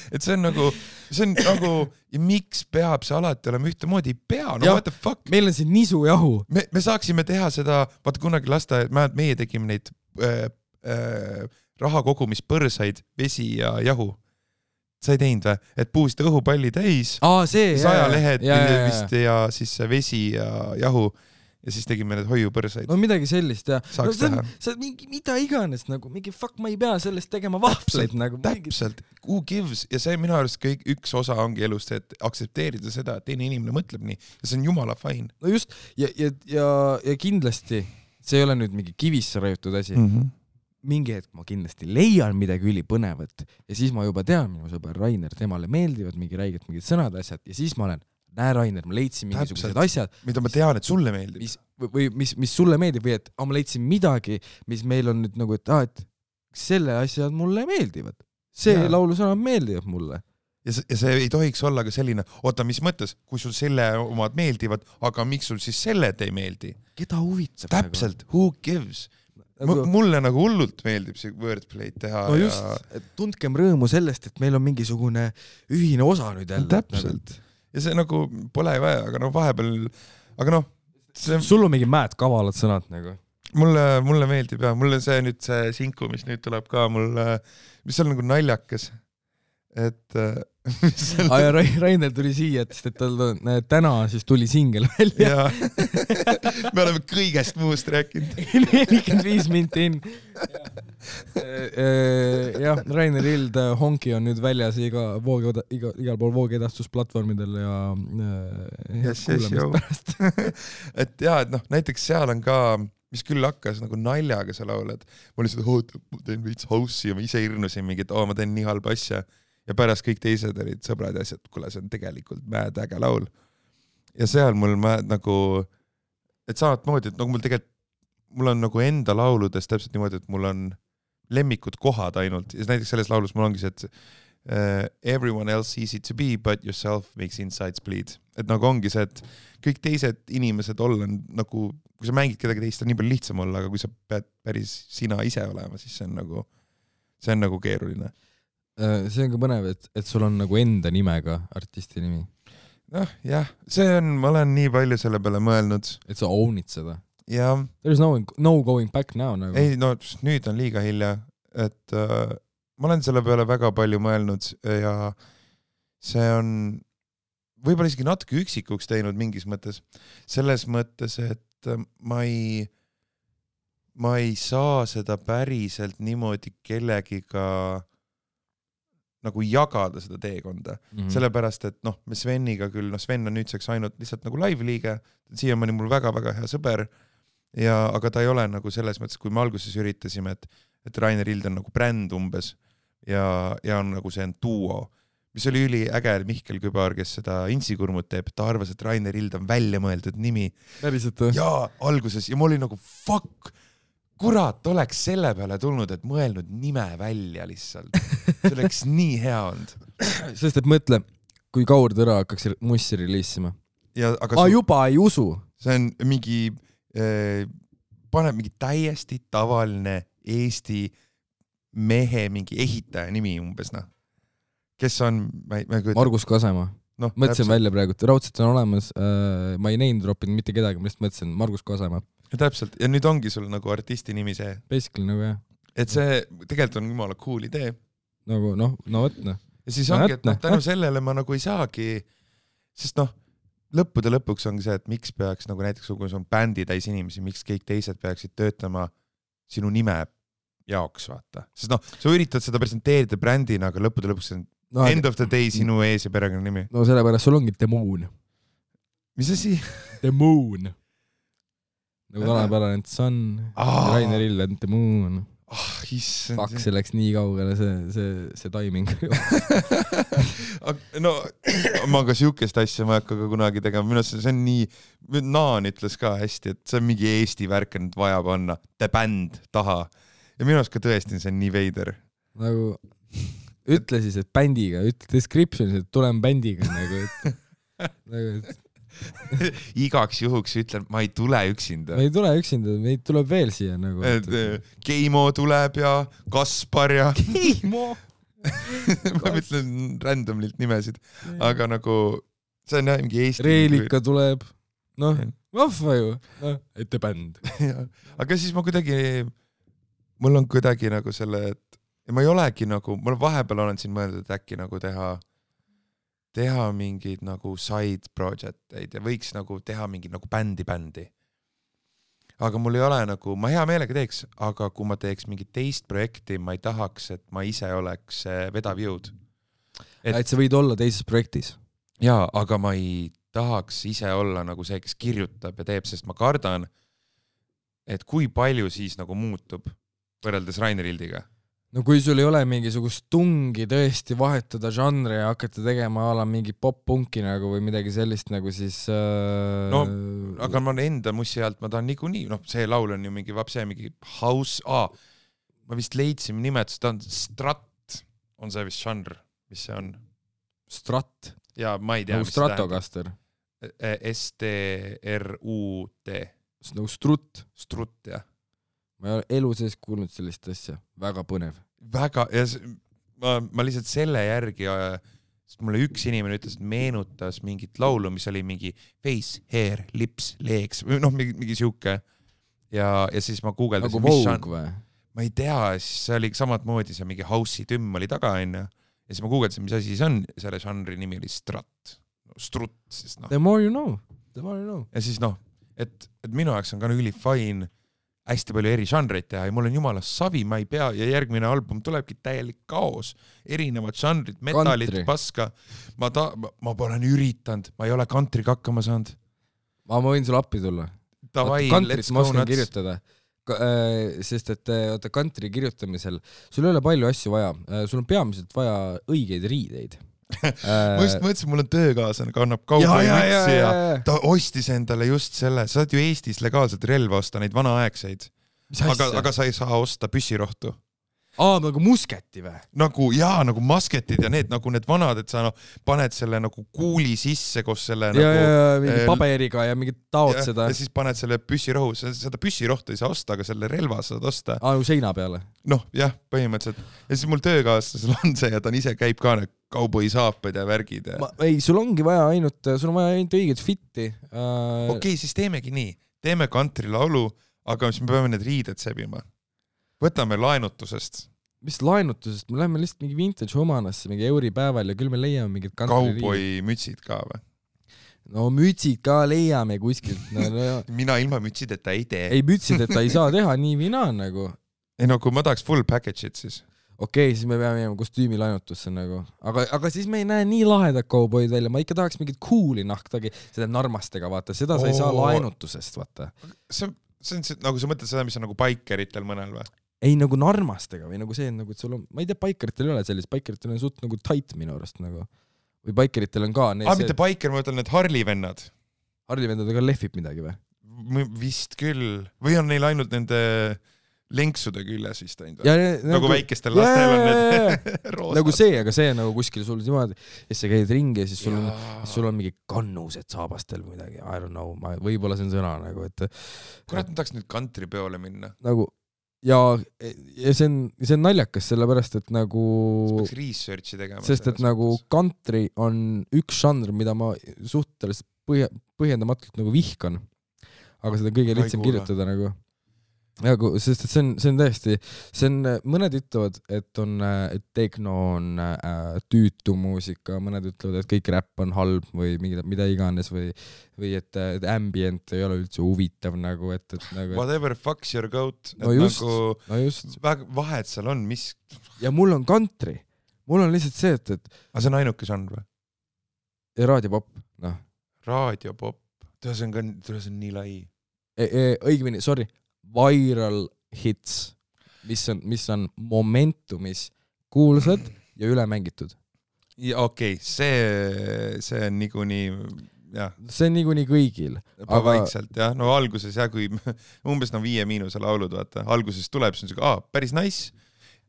Et see on nagu, ja miks peab see alati olema ühtemoodi? Ei pea, no what the fuck? Meil on siin nisujahu. Me saaksime teha seda, vaata kunagi lasta, meie tegime neid raha kogumispõrsaid, vesi ja jahu. Sa ei teinud või? Et puusid õhupalli täis, sajalehed vist ja siis vesi ja jahu ja siis tegime need hoiupõrsaid. No midagi sellist, jah. Saaks teha. See mingi, mida iganes, nagu mingi fuck, ma ei pea sellest tegema vahvleid. Nagu, täpselt, who gives ja see minu arust kõik üks osa ongi elust, et aksepteerida seda, et teine inimene mõtleb nii ja see on jumala fine. No just, ja kindlasti see ei ole nüüd mingi kivisse rajutud asi. Mingi hetk ma kindlasti leian midagi ülipõnevat ja siis ma juba tean, minu sõber Rainer, temale meeldivad mingi räiged mingid sõnad, asjad ja siis ma olen, näe Rainer, ma leidsin mingisugused asjad, mida ma tean, et sulle meeldib. Mis sulle meeldib või et ma leidsin midagi, mis meil on nüüd nagu, et selle asjad mulle meeldivad. See laulusõnad meeldivad mulle. Ja see ei tohiks olla ka selline, oota, mis mõttes, kui sul selle omad meeldivad, aga miks sul siis selle ei meeldi? Keda huvitab? Täpselt, who gives? Mulle nagu hullult meeldib see wordplay'd teha. No just, et tundkem rõõmu sellest, et meil on mingisugune ühine osa nüüd jälle. Täpselt. Ja see nagu pole vaja, aga no vahepeal, aga noh. Sul on mingi mäed kavalad sõnad nagu. Mulle meeldib ja mulle see nüüd see sinku, mis nüüd tuleb ka mulle, mis on nagu naljakas. Et ja Rainer tuli siia, et tal täna siis tuli singel välja. Me oleme kõigest muust rääkinud. 45 minti in. Jah, Rainer Ild Honki on nüüd väljas igal pool voogedastusplatvormidel ja kuulamist pärast. Et jah, et noh, näiteks seal on ka, mis küll hakkas nagu naljaga sa laulad. Ma olin seda, ma teen veits house'i ja ma ise irnusin mingi, et ma teen nii halba asja. Ja pärast kõik teised olid sõbrad ja asjad, kuule, see on tegelikult mäed äge laul. Ja seal mul nagu, et samamoodi, et nagu mul on nagu enda lauludes täpselt niimoodi, et mul on lemmikud kohad ainult. Ja näiteks selles laulus mul ongi see, et everyone else easy to be, but yourself makes insides bleed. Et nagu ongi see, et kõik teised inimesed olla nagu, kui sa mängid kedagi teist, on nii palju lihtsam olla, aga kui sa pead päris sina ise olema, siis see on nagu keeruline. See on ka põnev, et sul on nagu enda nimega artisti nimi. Noh, jah, ma olen nii palju selle peale mõelnud. Et sa ownid seda. Ja. There is no going back now. Nagu. Ei, no nüüd on liiga hilja. Et ma olen selle peale väga palju mõelnud ja see on võib-olla isegi natuke üksikuks teinud mingis mõttes. Selles mõttes, et ma ei saa seda päriselt niimoodi kellegiga nagu jagada seda teekonda. Sellepärast, et noh, me Sveniga küll, Sven on nüüdseks ainult lihtsalt nagu live-liige, siiamaani mul väga-väga hea sõber, aga ta ei ole nagu selles mõttes, kui me alguses üritasime, et Rainer Ild on nagu bränd umbes ja on nagu see on duo, mis oli üliäge Mihkel Kübar, kes seda Insikurmut teeb, ta arvas, et Rainer Ild on välja mõeldud nimi. Päriselt? Ja alguses, ja ma olin nagu fuck, kurat, oleks selle peale tulnud, et mõelnud nime välja lihtsalt. See oleks nii hea olnud. Sest et mõtle, kui Kaur Tõra hakkaks mussi reliisima. Aga juba ei usu. See on mingi, paneb mingi täiesti tavaline Eesti mehe mingi ehitaja nimi umbes, noh. Kes on... Margus Kasema. Mõtlesin välja praegu, et raudselt on olemas, ma ei name droppinud mitte kedagi, ma lihtsalt mõtlesin Margus Kasema. Ja täpselt, ja nüüd ongi sul nagu artisti nimi see. Basically nagu jah. Et see tegelikult on jumala cool idee. Nagu no võtne. Ja siis ongi, et tänu sellele ma nagu ei saagi, sest lõppude lõpuks ongi see, et miks peaks nagu näiteks kui on bändi täis inimesi, miks kõik teised peaksid töötama sinu nime jaoks, vaata. Sest sa üritad seda presenteerida brändina, aga lõppude lõpuks End of the day sinu ees ja perekonna nimi. No sellepärast sul ongi The Moon. Mis asi? The Moon. Nagu tänapärane Sun, Rainer Ill and The Moon. Faks, see läks nii kaugele, see timing. No, ma ka siukest asja ma ei hakka ka kunagi tegema. Minu see on nii, Naan ütles ka hästi, et see on mingi Eesti värk, nüüd vaja panna The Band taha. Ja minu ka tõesti see on nii veider. Nagu, ütle siis, et bändiga, ütle descriptionis, et tulen bändiga. Nagu, igaks juhuks ütlen, ma ei tule üksinda. Me ei tule üksinda, meid tuleb veel siia. Nagu, Keimo tuleb ja Kaspar ja... Keimo! ma ütlen randomlilt nimesid, aga nagu see on mingi Eesti... Reelika tuleb, noh, vahva ju, ette bänd. Aga siis ma kuidagi, mul on kuidagi nagu selle, et ja ma ei olegi nagu, mul vahepeal olen siin mõeldud, et äkki nagu teha mingid nagu side project'eid ja võiks nagu teha mingid nagu bändi. Aga mul ei ole nagu, ma hea meelega teeks, aga kui ma teeks mingit teist projekti, ma ei tahaks, et ma ise oleks vedav jõud. Et sa võid olla teises projektis? Jaa, aga ma ei tahaks ise olla nagu see, kes kirjutab ja teeb, sest ma kardan, et kui palju siis nagu muutub võrreldes Rainer Ildiga. No kui sul ei ole mingisugust tungi tõesti vahetada žanre ja hakata tegema ala mingi pop-punki nagu või midagi sellist nagu siis... No, aga ma enda mussi alt, ma tahan niikuinii, noh, see laul on ju mingi vapse, mingi house, ma vist leidsin nimetus, ta on Strat, on see vist žanr, mis see on? Strat? Ja ma ei tea, nagu Stratocaster? S-T-R-U-T. Nagu Strut? Strut, jah. Ma ei ole elu sees kuulnud sellist asja. Väga põnev. Väga, ja ma lihtsalt selle järgi, sest mulle üks inimene ütles, et meenutas mingit laulu, mis oli mingi face, hair, lips, legs, või noh, mingi siuke. Ja siis ma guugeldasin, nagu Vogue või? Ma ei tea, siis see oli samad moodi, see mingi house'i tümm oli taga, ja siis ma guugeldasin, mis asi see on, selle žanri nimi oli Strat. Strut, siis noh. The more you know. The more you know. Ja siis noh, et minu jaoks on ka üli fine hästi palju eri žanreid teha ja mul on jumala savi, ma ei pea ja järgmine album tulebki täielik kaos, erinevad žanrid, metalit, paska. Ma olen üritanud, ma ei ole kantriga hakkama saanud. Ma võin sul appi tulla. Kantrit ma oskan kirjutada, sest et kantri kirjutamisel sul ei ole palju asju vaja, sul on peamiselt vaja õigeid riideid. Ma just mõtlesin, mul on töökaaslane, kannab kauboimütsi ja ta ostis endale just selle, sa saad ju Eestis legaalselt relva osta, neid vanaaegseid, aga sa ei saa osta püssirohtu. Nagu musketi või? Nagu masketid ja nagu need vanad, et sa paned selle nagu kuuli sisse koos selle mingi paberiga ja mingi taod seda. Ja siis paned selle püssirohu, seda püssirohtu ei saa osta, aga selle relva saad osta. Nagu seina peale? Noh, jah, põhimõtteliselt. Ja siis mul töökaaslasel on see ja ta ise käib ka kauboi saapad ja värgid. Ei, sul ongi vaja ainult õiget fitti. Okei, siis teemegi nii. Teeme kantri laulu, aga siis me peame need riided sebima. Võtame laenutusest. Mis laenutusest? Me läheme lihtsalt mingi vintage homanasse, mingi euripäeval ja küll me leiame mingid kantri riid. Kauboi mütsid ka või? No mütsid ka leiame kuskilt. Mina ilma mütsideta ei tee. Ei, mütsideta ei saa teha, nii vina nagu. Ei, kui ma tahaks full package'it siis. Okei, siis me peame jääma kostüümi laenutusse nagu. Aga siis me ei näe nii lahedat kauboid välja. Ma ikka tahaks mingit cooli nahtagi seda narmastega, vaata. Seda sa ei saa laenutusest, vaata. See on nagu sa mõtled seda, mis on nagu baikeritel mõnel või? Ei, nagu narmastega või nagu see, nagu, et sul on, ma ei tea, baikeritel ei ole sellist, baikeritel on suht nagu tight minu arust nagu. Või baikeritel on ka... mitte baiker, ma ütlen need Harley-vennad. Harley-vendadega lehvib midagi või? Vist küll. Või on neil ainult nende lenksude küljes vist ainult? Nagu väikestel lastel on need roosad. Nagu see, aga see nagu kuskil sul niimoodi, ja sa käid ringi ja siis sul on mingi kannused saabastel või midagi. I don't know, võib-olla see on sõna nagu, et... Kurat, ma tahaks nüüd kantripeole minna. Nagu... Ja see on naljakas, sellepärast, et nagu... Peaks researchi tegema. Sest, et nagu country on üks žanr, mida ma suhteliselt põhjendamatult nagu vihkan. Aga seda kõige lihtsam kirjutada nagu... Sest, et see on tõesti... Mõned ütlevad, et techno on tüütu muusika, mõned ütlevad, et kõik räpp on halb või mida iganes või et ambient ei ole üldse huvitav nagu, et nagu... Whatever fucks your goat. No just. Vahet seal on, mis... Ja mul on country. mul on lihtsalt see, et aga see on ainuke žanr või? raadiopop, noh. Raadiopop, see on nii lai. Õigemini, sorry, viral hits, mis on momentumis kuulsad ja üle mängitud. Ja okei, see on niikuinii, jah. See on niikuinii kõigil. Aga vaikselt, jah. No alguses, jah, kui umbes 5 laulud, vaata. Alguses tuleb, see on päris nice.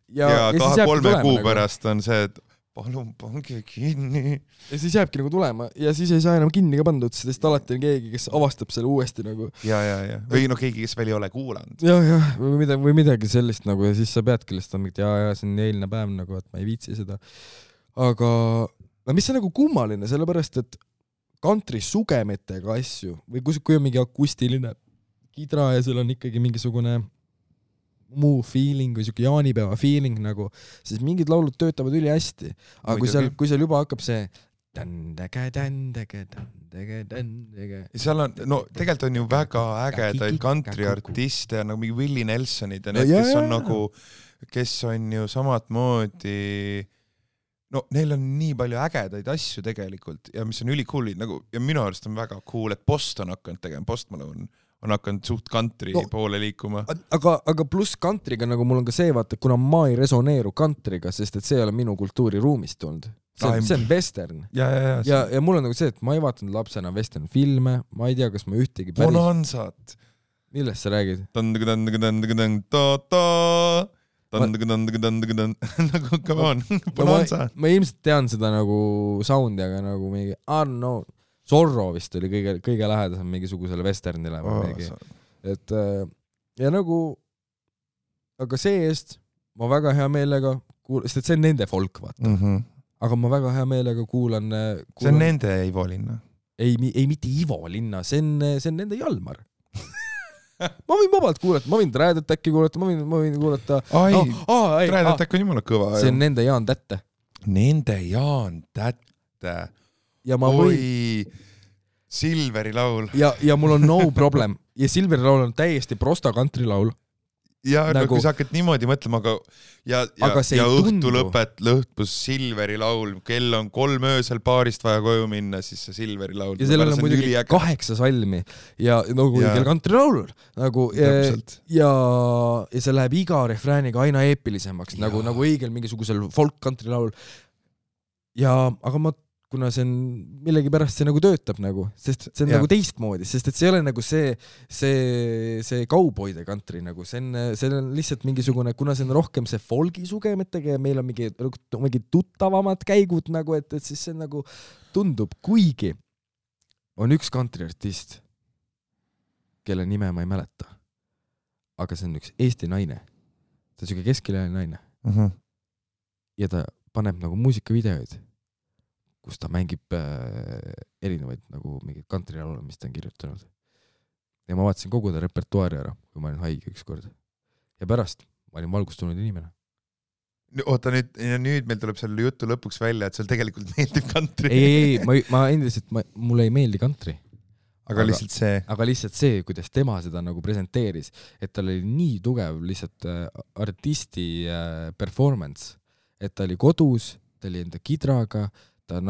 Ja 2-3 kuu pärast on see, et palun pange kinni. Ja siis jääbki nagu tulema ja siis ei saa enam kinni ka pandud, sest alati on keegi, kes avastab selle uuesti nagu. Ja. Või keegi, kes veel ei ole kuulanud. Ja, või midagi sellist nagu ja siis sa peadki lihtsalt mingit, ja see on eilne päev nagu, et ma ei viitsi seda. Aga mis on nagu kummaline, sellepärast, et country sugemetega asju või kui on mingi akustiline kidra ja seal on ikkagi mingisugune muu feeling või siuke jaanipäeva feeling nagu, siis mingid laulud töötavad üli hästi. Aga kui seal juba hakkab see seal on, no tegelikult on ju väga ägedaid country artiste nagu mingi Willie Nelsonid ja need, kes on ju samad moodi, no neil on nii palju ägedaid asju tegelikult ja mis on ülikool nagu, ja minu arust on väga cool, et Post on hakanud tegema, Post Malone on hakanud suht country poole liikuma. Aga pluss countryga nagu mul on ka see, vaata, kuna ma ei resoneeru countryga, sest et see ei ole minu kultuuriruumist tulnud. See on western. Ja mul on nagu see, et ma ei vaatanud lapsena western filme, ma ei tea, kas ma ühtegi päris... Bonanzat. Millest sa räägid? Nagu, come on, Bonanza. Ma ilmselt tean seda nagu soundi, aga nagu mingi, no Zorro vist oli kõige lähedasem mingisugusele westernile või mingi. Et, ja nagu, aga see eest ma väga hea meelega sest et see on nende folk, vaata. Aga ma väga hea meelega kuulan... See on nende Ivo linna? Ei, mitte Ivo linna, see on nende Jalmar. Ma võin vabalt kuulata, ma võin Trädet äkki kuulata, ma võin kuulata... Trädet äkki on jumala kõva. See on nende Jaan Tätte. Nende Jaan Tätte. Ja ma võin... Silveri laul. Ja mul on no problem. Ja Silveri laul on täiesti prosta country laul. Ja nagu... kui sa hakkad niimoodi mõtlema, ja õhtu lõpus Silveri laul, kell on 3 öösel paarist vaja koju minna, siis see Silveri laul. Ja sellel on muidugi 8 salmi ja nagu õigel country laulul. Nagu, ja see läheb iga refrääniga aina eepilisemaks, nagu õigel mingisugusel folk country laul. Aga kuna see on millegi pärast see nagu töötab nagu, sest see on nagu teistmoodi, sest et see ei ole nagu see kauboide country nagu, see on lihtsalt mingisugune, kuna see on rohkem see folgi sugemetega ja meil on mingi tuttavamad käigud nagu, et siis see nagu tundub, kuigi on üks country artist, kelle nime ma ei mäleta, aga see on üks Eesti naine, ta on siuke keskiline naine ja ta paneb nagu muusikavideoid, kus ta mängib erinevaid nagu mingid country laule, mis ta on kirjutanud. Ja ma vaatasin kogu ta repertuaari ära, kui ma olin haige ükskord. Ja pärast ma olin valgustunud inimene. Oota, nüüd meil tuleb selle jutu lõpuks välja, et seal tegelikult meeldib country. Ei, ma endiselt, mulle ei meeldi country. Aga lihtsalt see, kuidas tema seda nagu presenteeris, et tal oli nii tugev lihtsalt artisti performance, et ta oli kodus, ta oli enda kidraga, ta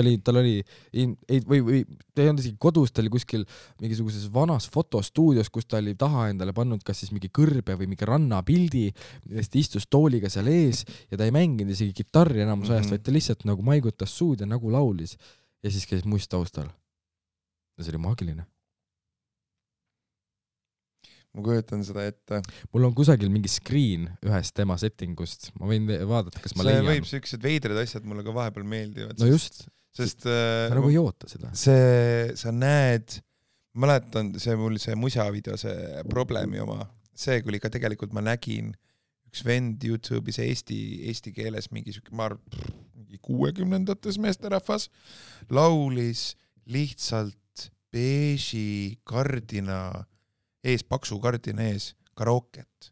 oli ta ei olnud isegi kodus, ta oli kuskil mingisuguses vanas fotostuudios, kus ta oli taha endale pannud kas siis mingi kõrbe või mingi rannapildi, millest istus tooliga seal ees ja ta ei mänginud isegi kitarri enamus ajast, vaid ta lihtsalt nagu maigutas suud ja nagu laulis ja siis käis must taustal. Ja see oli maagiline. Ma kujutan seda ette. Mul on kusagil mingi screen ühest tema settingust. Ma võin vaadata, kas ma leian. See võib sellised veidrad asjad mulle ka vahepeal meeldivad. No just. Sest sa nagu ei oota seda. Sa näed, mäletan see musavideo, see probleemi oma. See, kui ka tegelikult ma nägin üks vend YouTube'is eesti keeles mingi 60-ndates meesterahvas laulis lihtsalt beeži kardina ees, paksu kardina ees, karooket.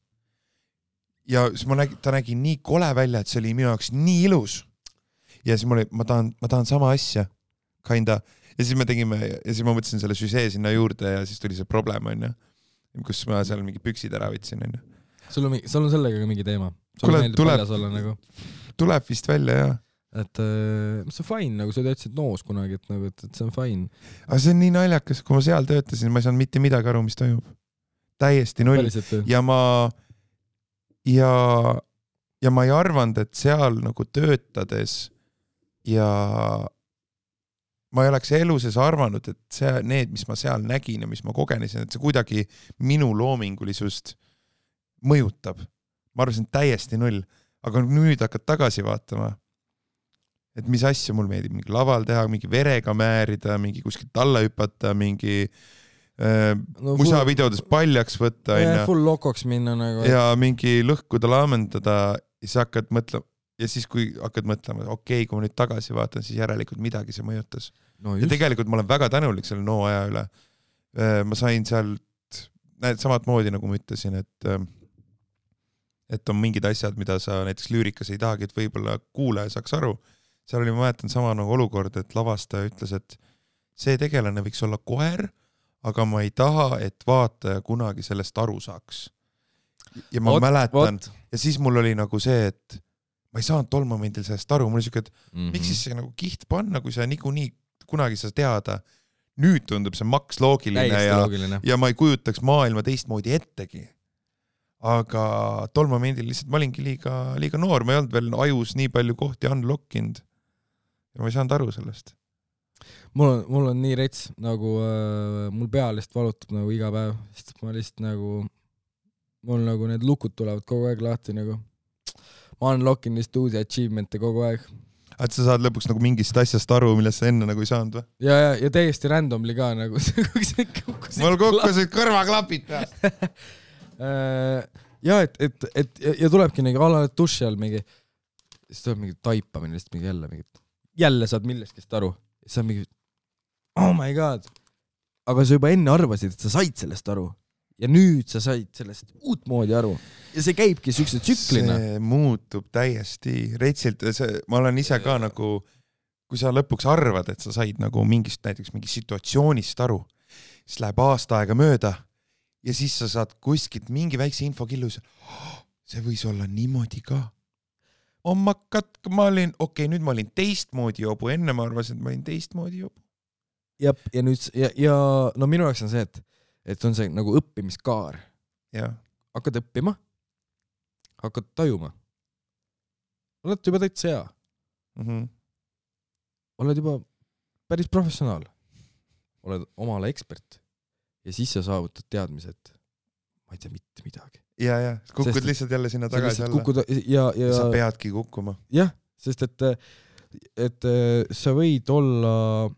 Ja siis ta nägi nii kole välja, et see oli minu jaoks nii ilus. Ja siis ma tahan sama asja, kinda. Ja siis me tegime, ja siis ma mõtlesin selle süsee sinna juurde ja siis tuli see problem, on ju. Kus ma seal mingi püksid ära võtsin, on ju. Sul on sellega mingi teema? Sul meeldib paljas olla nagu? tuleb vist välja, jah. Et see on fine, nagu sa töötasid Noos kunagi, et nagu, et see on fine. Aga see on nii naljakas, kui ma seal töötasin, ma ei saanud mitte midagi aru, mis toimub. Täiesti null. Ja ma ei arvanud, et seal nagu töötades ja ma ei oleks elu sees arvanud, et need, mis ma seal nägin ja mis ma kogenesin, et see kuidagi minu loomingulisust mõjutab. Ma arvasin täiesti null, aga nüüd hakkad tagasi vaatama, et mis asja mul meeldib, mingi laval teha, mingi verega määrida, mingi kuskilt alla hüpata, mingi musavideodes paljaks võtta. Full lokoks minna nagu. Ja mingi lõhkuda laamendada ja siis hakkad mõtlema. Ja siis kui hakkad mõtlema, okei, kui ma nüüd tagasi vaatan, siis järelikult midagi see mõjutas. No ja tegelikult ma olen väga tänulik selle NO aja üle. Ma sain sealt samad moodi, nagu ma ütlesin, et on mingid asjad, mida sa näiteks lüürikas ei tahagi, et võib-olla kuulaja saaks aru. Seal oli, ma mäletan sama nagu olukord, et lavastaja ütles, et see tegelane võiks olla koer, aga ma ei taha, et vaataja kunagi sellest aru saaks. Ja ma mäletan, ja siis mul oli nagu see, et ma ei saanud tol momendil sellest aru, mul oli siuke, et miks siis see nagu kiht panna, kui sa niikuinii kunagi sa teada. Nüüd tundub see maks loogiline ja ma ei kujutaks maailma teistmoodi ettegi. Aga tol momendil lihtsalt ma olingi liiga noor, ma ei olnud veel ajus nii palju kohti unlockinud ja ma ei saanud aru sellest. Mul on nii rets, nagu mul pea lihtsalt valutab nagu iga päev, sest ma lihtsalt nagu, mul nagu need lukud tulevad kogu aeg lahti nagu. Ma unlockin lihtsalt uusi achievement'e kogu aeg. Et sa saad lõpuks nagu mingist asjast aru, millest sa enne nagu ei saanud või? Ja täiesti randomly ka nagu. Mul kukkusid kõrvaklapid peast. Ja tulebki nagu alale duši all mingi, siis tuleb mingi taipamine, siis mingi jälle saad millestki aru. Siis on mingi, oh my god. Aga sa juba enne arvasid, et sa said sellest aru. Ja nüüd sa said sellest uut moodi aru. Ja see käibki sükse tsüklina. See muutub täiesti retsilt. Ma olen ise ka nagu, kui sa lõpuks arvad, et sa said nagu näiteks mingi situatsioonist aru, siis läheb aasta aega mööda ja siis sa saad kuskilt mingi väikse infokillus. See võis olla niimoodi ka. Nüüd ma olin teistmoodi jobu. Enne ma arvasin, et ma olin teistmoodi jobu. Ja nüüd, ja no minu jaoks on see, et on see nagu õppimiskaar. Ja. Hakkad õppima, hakkad tajuma. Oled juba täitsa hea. Oled juba päris professionaal. Oled omale ekspert. Ja siis sa saavutad teadmised. Ma ei tea mitte midagi. Ja, kukud lihtsalt jälle sinna tagasi alla. Sa peadki kukkuma. Jah, sest et sa võid olla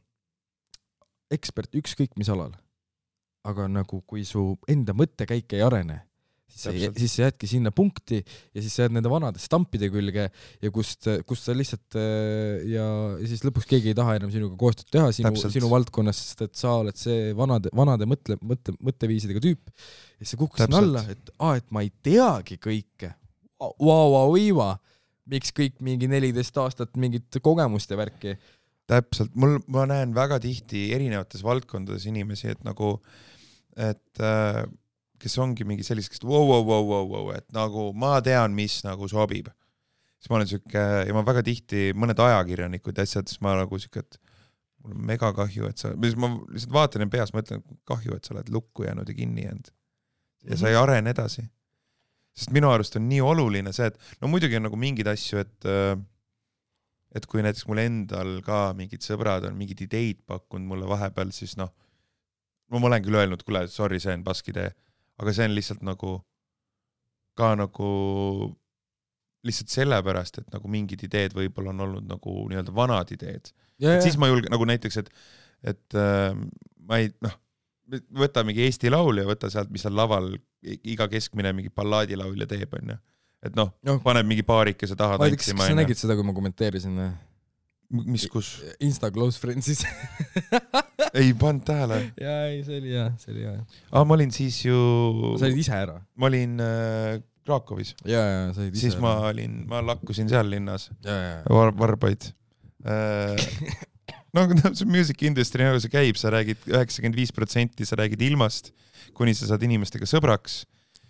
ekspert ükskõik mis alal. Aga nagu kui su enda mõttekäik ei arene, siis sa jäädki sinna punkti ja siis sa jääd nende vanade stampide külge ja kust sa lihtsalt ja siis lõpuks keegi ei taha enam sinuga koostööd teha sinu valdkonnas, sest et sa oled see vanade mõtteviisidega tüüp ja siis sa kukkusid alla, et ma ei teagi kõike. Miks kõik mingi 14 aastat mingit kogemust ja värki? Täpselt. Ma näen väga tihti erinevates valdkondades inimesi, et nagu kes ongi mingi sellisest, et nagu ma tean, mis nagu sobib. Siis ma olen süke, ja ma väga tihti mõned ajakirjanikud asjad, siis ma nagu süke, et mul on mega kahju, et ma lihtsalt vaatan ja peas mõtlen, kahju, et sa oled lukku jäänud ja kinni jäänud. Ja sa ei arene edasi. Sest minu arust on nii oluline see, et no muidugi on nagu mingid asju, et kui näiteks mul endal ka mingid sõbrad on mingid ideid pakkunud mulle vahepeal, siis noh, ma olen küll öelnud, kuule, sorry, see on paskidee, aga see on lihtsalt nagu ka nagu lihtsalt sellepärast, et nagu mingid ideed võib-olla on olnud nagu nii-öelda vanad ideed. Et siis ma julgen nagu näiteks, et ma ei, noh, võta mingi Eesti laul ja võta sealt, mis on laval, iga keskmine mingi ballaadilaulja teeb, on ju. Et noh, paneb mingi paarikese taha tantsima. Kas sa nägid seda, kui ma kommenteerisin? Mis kus? Insta Close Friendsis. Ei pannud tähele. Jaa, see oli hea. Ma olin siis ju... Sa olid ise ära? Ma olin Krakowis. Jaa, sa olid ise siis ära. Ma lakkusin seal linnas. Varbaid. No, see music industry, nagu see käib, sa räägid 95%, sa räägid ilmast, kuni sa saad inimestega sõbraks.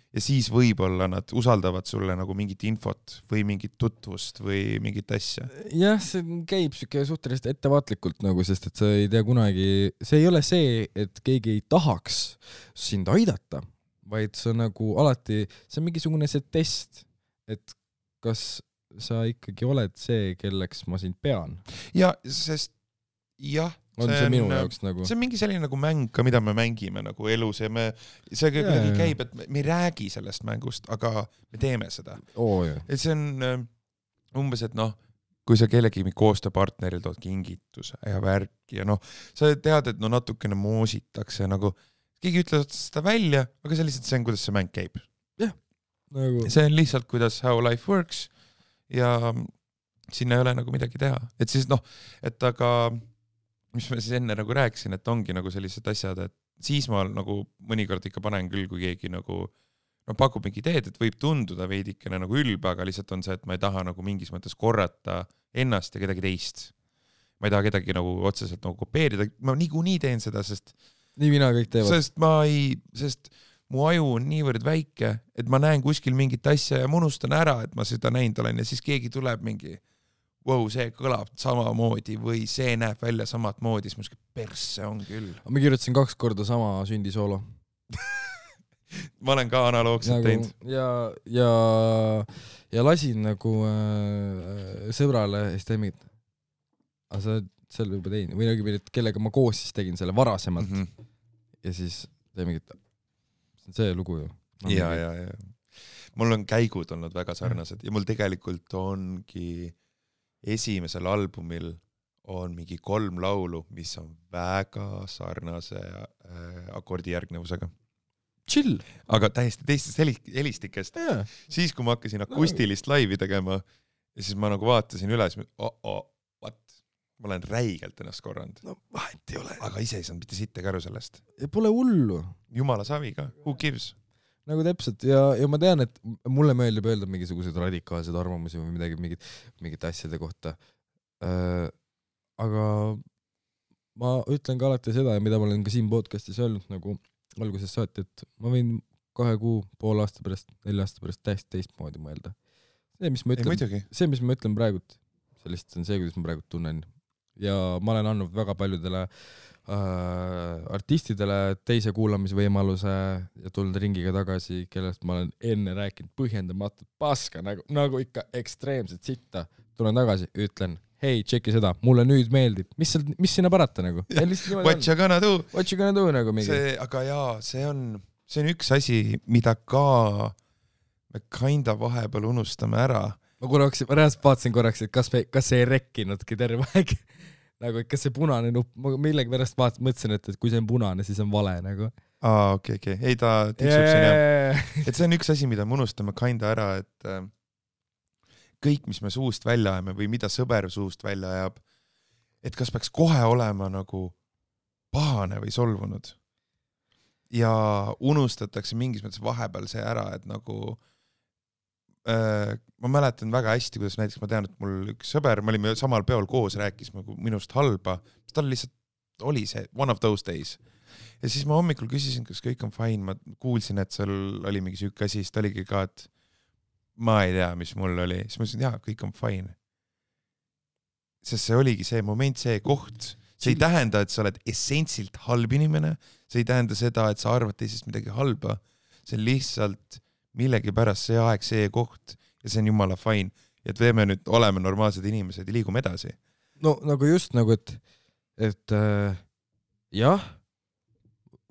ja siis võib-olla nad usaldavad sulle nagu mingit infot või mingit tutvust või mingit asja. Jah, see käib siuke suhteliselt ettevaatlikult nagu, sest et sa ei tea kunagi, see ei ole see, et keegi ei tahaks sind aidata, vaid see on nagu alati, see on mingisugune see test, et kas sa ikkagi oled see, kelleks ma sind pean. Ja, sest jah, on see minu jaoks nagu. See on mingi selline nagu mäng ka, mida me mängime nagu elus ja see kuidagi käib, et me ei räägi sellest mängust, aga me teeme seda. Et see on umbes, et kui sa kellegi koostööpartneril tood kingituse ja värki ja sa tead, et natukene moositakse nagu, keegi ütleb seda välja, aga see lihtsalt see on, kuidas see mäng käib. Jah. Nagu... See on lihtsalt, kuidas how life works ja sinna ei ole nagu midagi teha. Et siis et aga mis ma siis enne nagu rääkisin, et ongi nagu sellised asjad, et siis ma nagu mõnikord ikka panen küll, kui keegi nagu pakub mingi ideed, et võib tunduda veidikene nagu ülbe, aga lihtsalt on see, et ma ei taha nagu mingis mõttes korrata ennast ja kedagi teist. Ma ei taha kedagi nagu otseselt nagu kopeerida, ma niikuinii teen seda, sest nii mina kõik teevad. Sest mu aju on niivõrd väike, et ma näen kuskil mingit asja ja ma unustan ära, et ma seda näinud olen ja siis keegi tuleb mingi see kõlab samamoodi või see näeb välja samad moodi, siis persse on küll. Ma kirjutasin 2 korda sama sündisoolo. Ma olen ka analoogselt teinud. Ja lasin nagu sõbrale ja siis tein mingit, aga sa selle juba tein, või nagu kellega ma koos siis tegin selle varasemalt ja siis tein mingit, see lugu ju. Ja. Mul on käigud olnud väga sarnased ja mul tegelikult ongi esimesel albumil on mingi 3 laulu, mis on väga sarnase akordijärgnevusega. Chill. Aga täiesti teistest helistikest. Siis, kui ma hakkasin akustilist laivi tegema ja siis ma nagu vaatasin üle, siis ma olen räigelt ennast korranud. Vahet ei ole. Aga ise ei saanud mitte sitte käru sellest. Ja pole hullu. Jumala savi ka. Who gives? Nagu täpselt ja ma tean, et mulle meeldib öelda mingisugused radikaalsed arvamusi või midagi, mingit asjade kohta. Aga ma ütlen ka alati seda, mida ma olen ka siin podcastis öelnud nagu alguses saati, et ma võin 2 kuu, pool aasta pärast, 4 aasta pärast täiesti teistmoodi mõelda. See, mis ma ütlen praegult, see lihtsalt on see, kuidas ma praegult tunnen. Ja ma olen andnud väga paljudele artistidele teise kuulamisvõimaluse ja tulnud ringiga tagasi, kellest ma olen enne rääkinud põhjendamatult paska, nagu ikka ekstreemselt sitta. Tulen tagasi, ütlen, hei, tšeki seda, mulle nüüd meeldib. Mis sinna parata nagu? What you gonna do? What you gonna do nagu mingi? Aga jaa, see on üks asi, mida ka me kinda vahepeal unustame ära. Ma vaatasin korraks, et kas see ei rekkinudki terve aeg. Nagu ikka see punane nupp, ma millegi pärast mõtlesin, et kui see on punane, siis on vale nagu. Okay. Ei, ta tiksub siin jah. Et see on üks asi, mida me unustame kinda ära, et kõik, mis me suust välja ajame või mida sõber suust välja ajab, et kas peaks kohe olema nagu pahane või solvunud. Ja unustatakse mingis mõttes vahepeal see ära, et nagu ma mäletan väga hästi, kuidas näiteks ma tean, et mul üks sõber, me olime samal peol koos, rääkis minust halba, tal lihtsalt oli see one of those days. Ja siis ma hommikul küsisin, kas kõik on fine, ma kuulsin, et seal oli mingi süüke asi, siis ta oligi ka, et ma ei tea, mis mul oli. Siis ma ütlesin, jaa, kõik on fine. Sest see oligi see moment, see koht. See ei tähenda, et sa oled essentsilt halb inimene, see ei tähenda seda, et sa arvad teisest midagi halba. See on lihtsalt millegi pärast see aeg, see koht ja see on jumala fine. Ja et me nüüd oleme normaalsed inimesed ja liigume edasi. No nagu just nagu, et jah,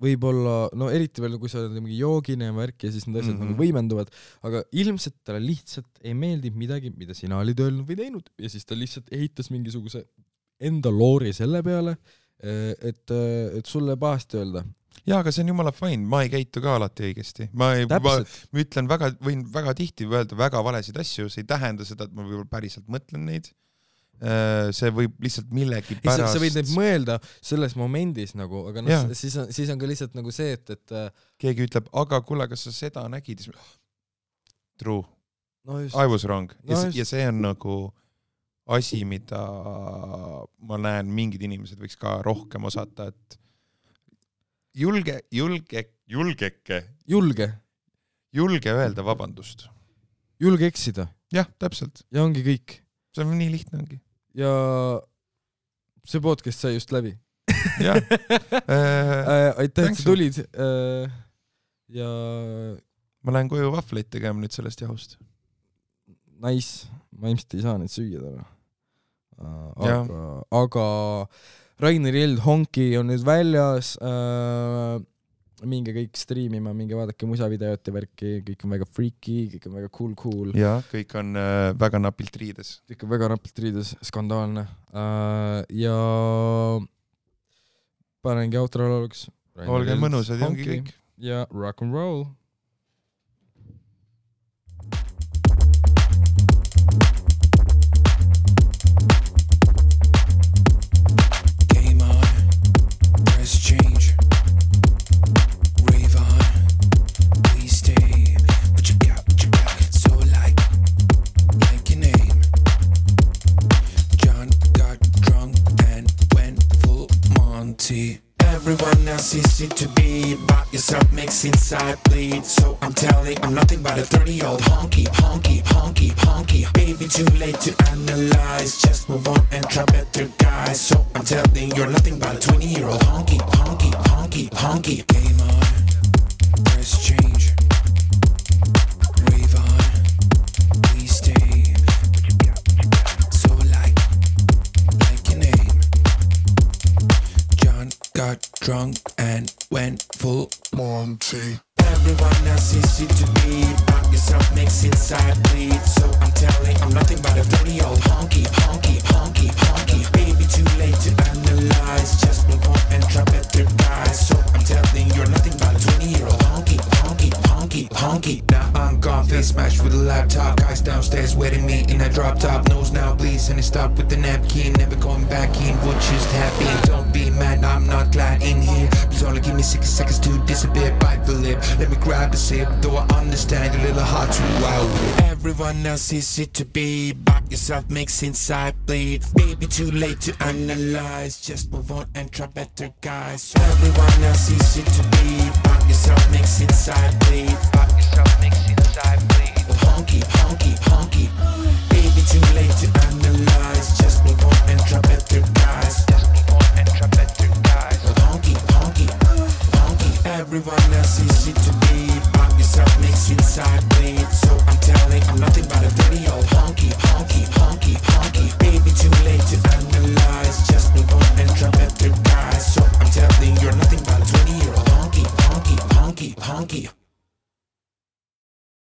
võib-olla, no eriti veel, kui sa oled mingi joogine ja värk ja siis need asjad nagu võimenduvad, aga ilmselt talle lihtsalt ei meeldi midagi, mida sina olid öelnud või teinud ja siis ta lihtsalt ehitas mingisuguse enda loori selle peale, et sulle pahasti öelda. Jaa, aga see on jumala fine, ma ei käitu ka alati õigesti. Ma ütlen võin väga tihti öelda väga valesid asju, see ei tähenda seda, et ma võib-olla päriselt mõtlen neid. See võib lihtsalt millegi pärast... Sa võid neid mõelda selles momendis nagu, aga siis on ka lihtsalt nagu see, et keegi ütleb, aga kuule, kas sa seda nägid? True. No I was wrong. Ja see on nagu asi, mida ma näen, mingid inimesed võiks ka rohkem osata, et julge julge öelda vabandust. Julge eksida. Jah, täpselt. Ja ongi kõik. See on nii lihtne ongi. Ja see podcast sai just läbi. Jah. Aitäh, et sa tulid. Ja ma lähen koju vahvleid tegema nüüd sellest jahust. Nice. Ma ilmselt ei saa neid süüa täna. Aga Rainer Jeld Honki on nüüd väljas, minge kõik striimima, minge vaadake musavideot ja värki, kõik on väga freaky, kõik on väga cool. Ja kõik on väga napilt riides. Kõik on väga napilt riides, skandaalne. Ja panengi outro lauluks. Olge mõnusad ja ongi kõik. Ja rock and roll. Change, rave on, please stay. What you got, so like your name. John got drunk and went full Monty. Everyone else is it to be, but yourself makes inside bleed. So I'm telling, I'm nothing but a 30-year-old honky. Baby, too late to analyze. Just move on and try better guys. So I'm telling, you're nothing but a 20-year-old honky. Game on, press change, rave on, please stay. So like your name. John got drunk and went full Monty. Everyone else is it to be, but yourself makes inside bleed. So I'm telling, I'm nothing but a 30-year-old honky. Baby, too late to analyze. Just move on and try better guys. So I'm telling, you're nothing but a 20-year-old honky. Now I'm gone, face smashed with a laptop. Guys downstairs waiting me in a drop top. Nose now bleeds and it stopped with the napkin. Never going back in, would just happen. Don't be mad, I'm not glad in here. Please only give me 60 seconds to disappear. Bite the lip, let me grab a sip. Though I understand you're a little hard to wow. Everyone else is it to be, but yourself makes inside bleed. Baby, too late to analyze. Just move on and try better guys. Everyone else is it to be, but yourself makes inside bleed. But yourself makes inside bleed. Honky.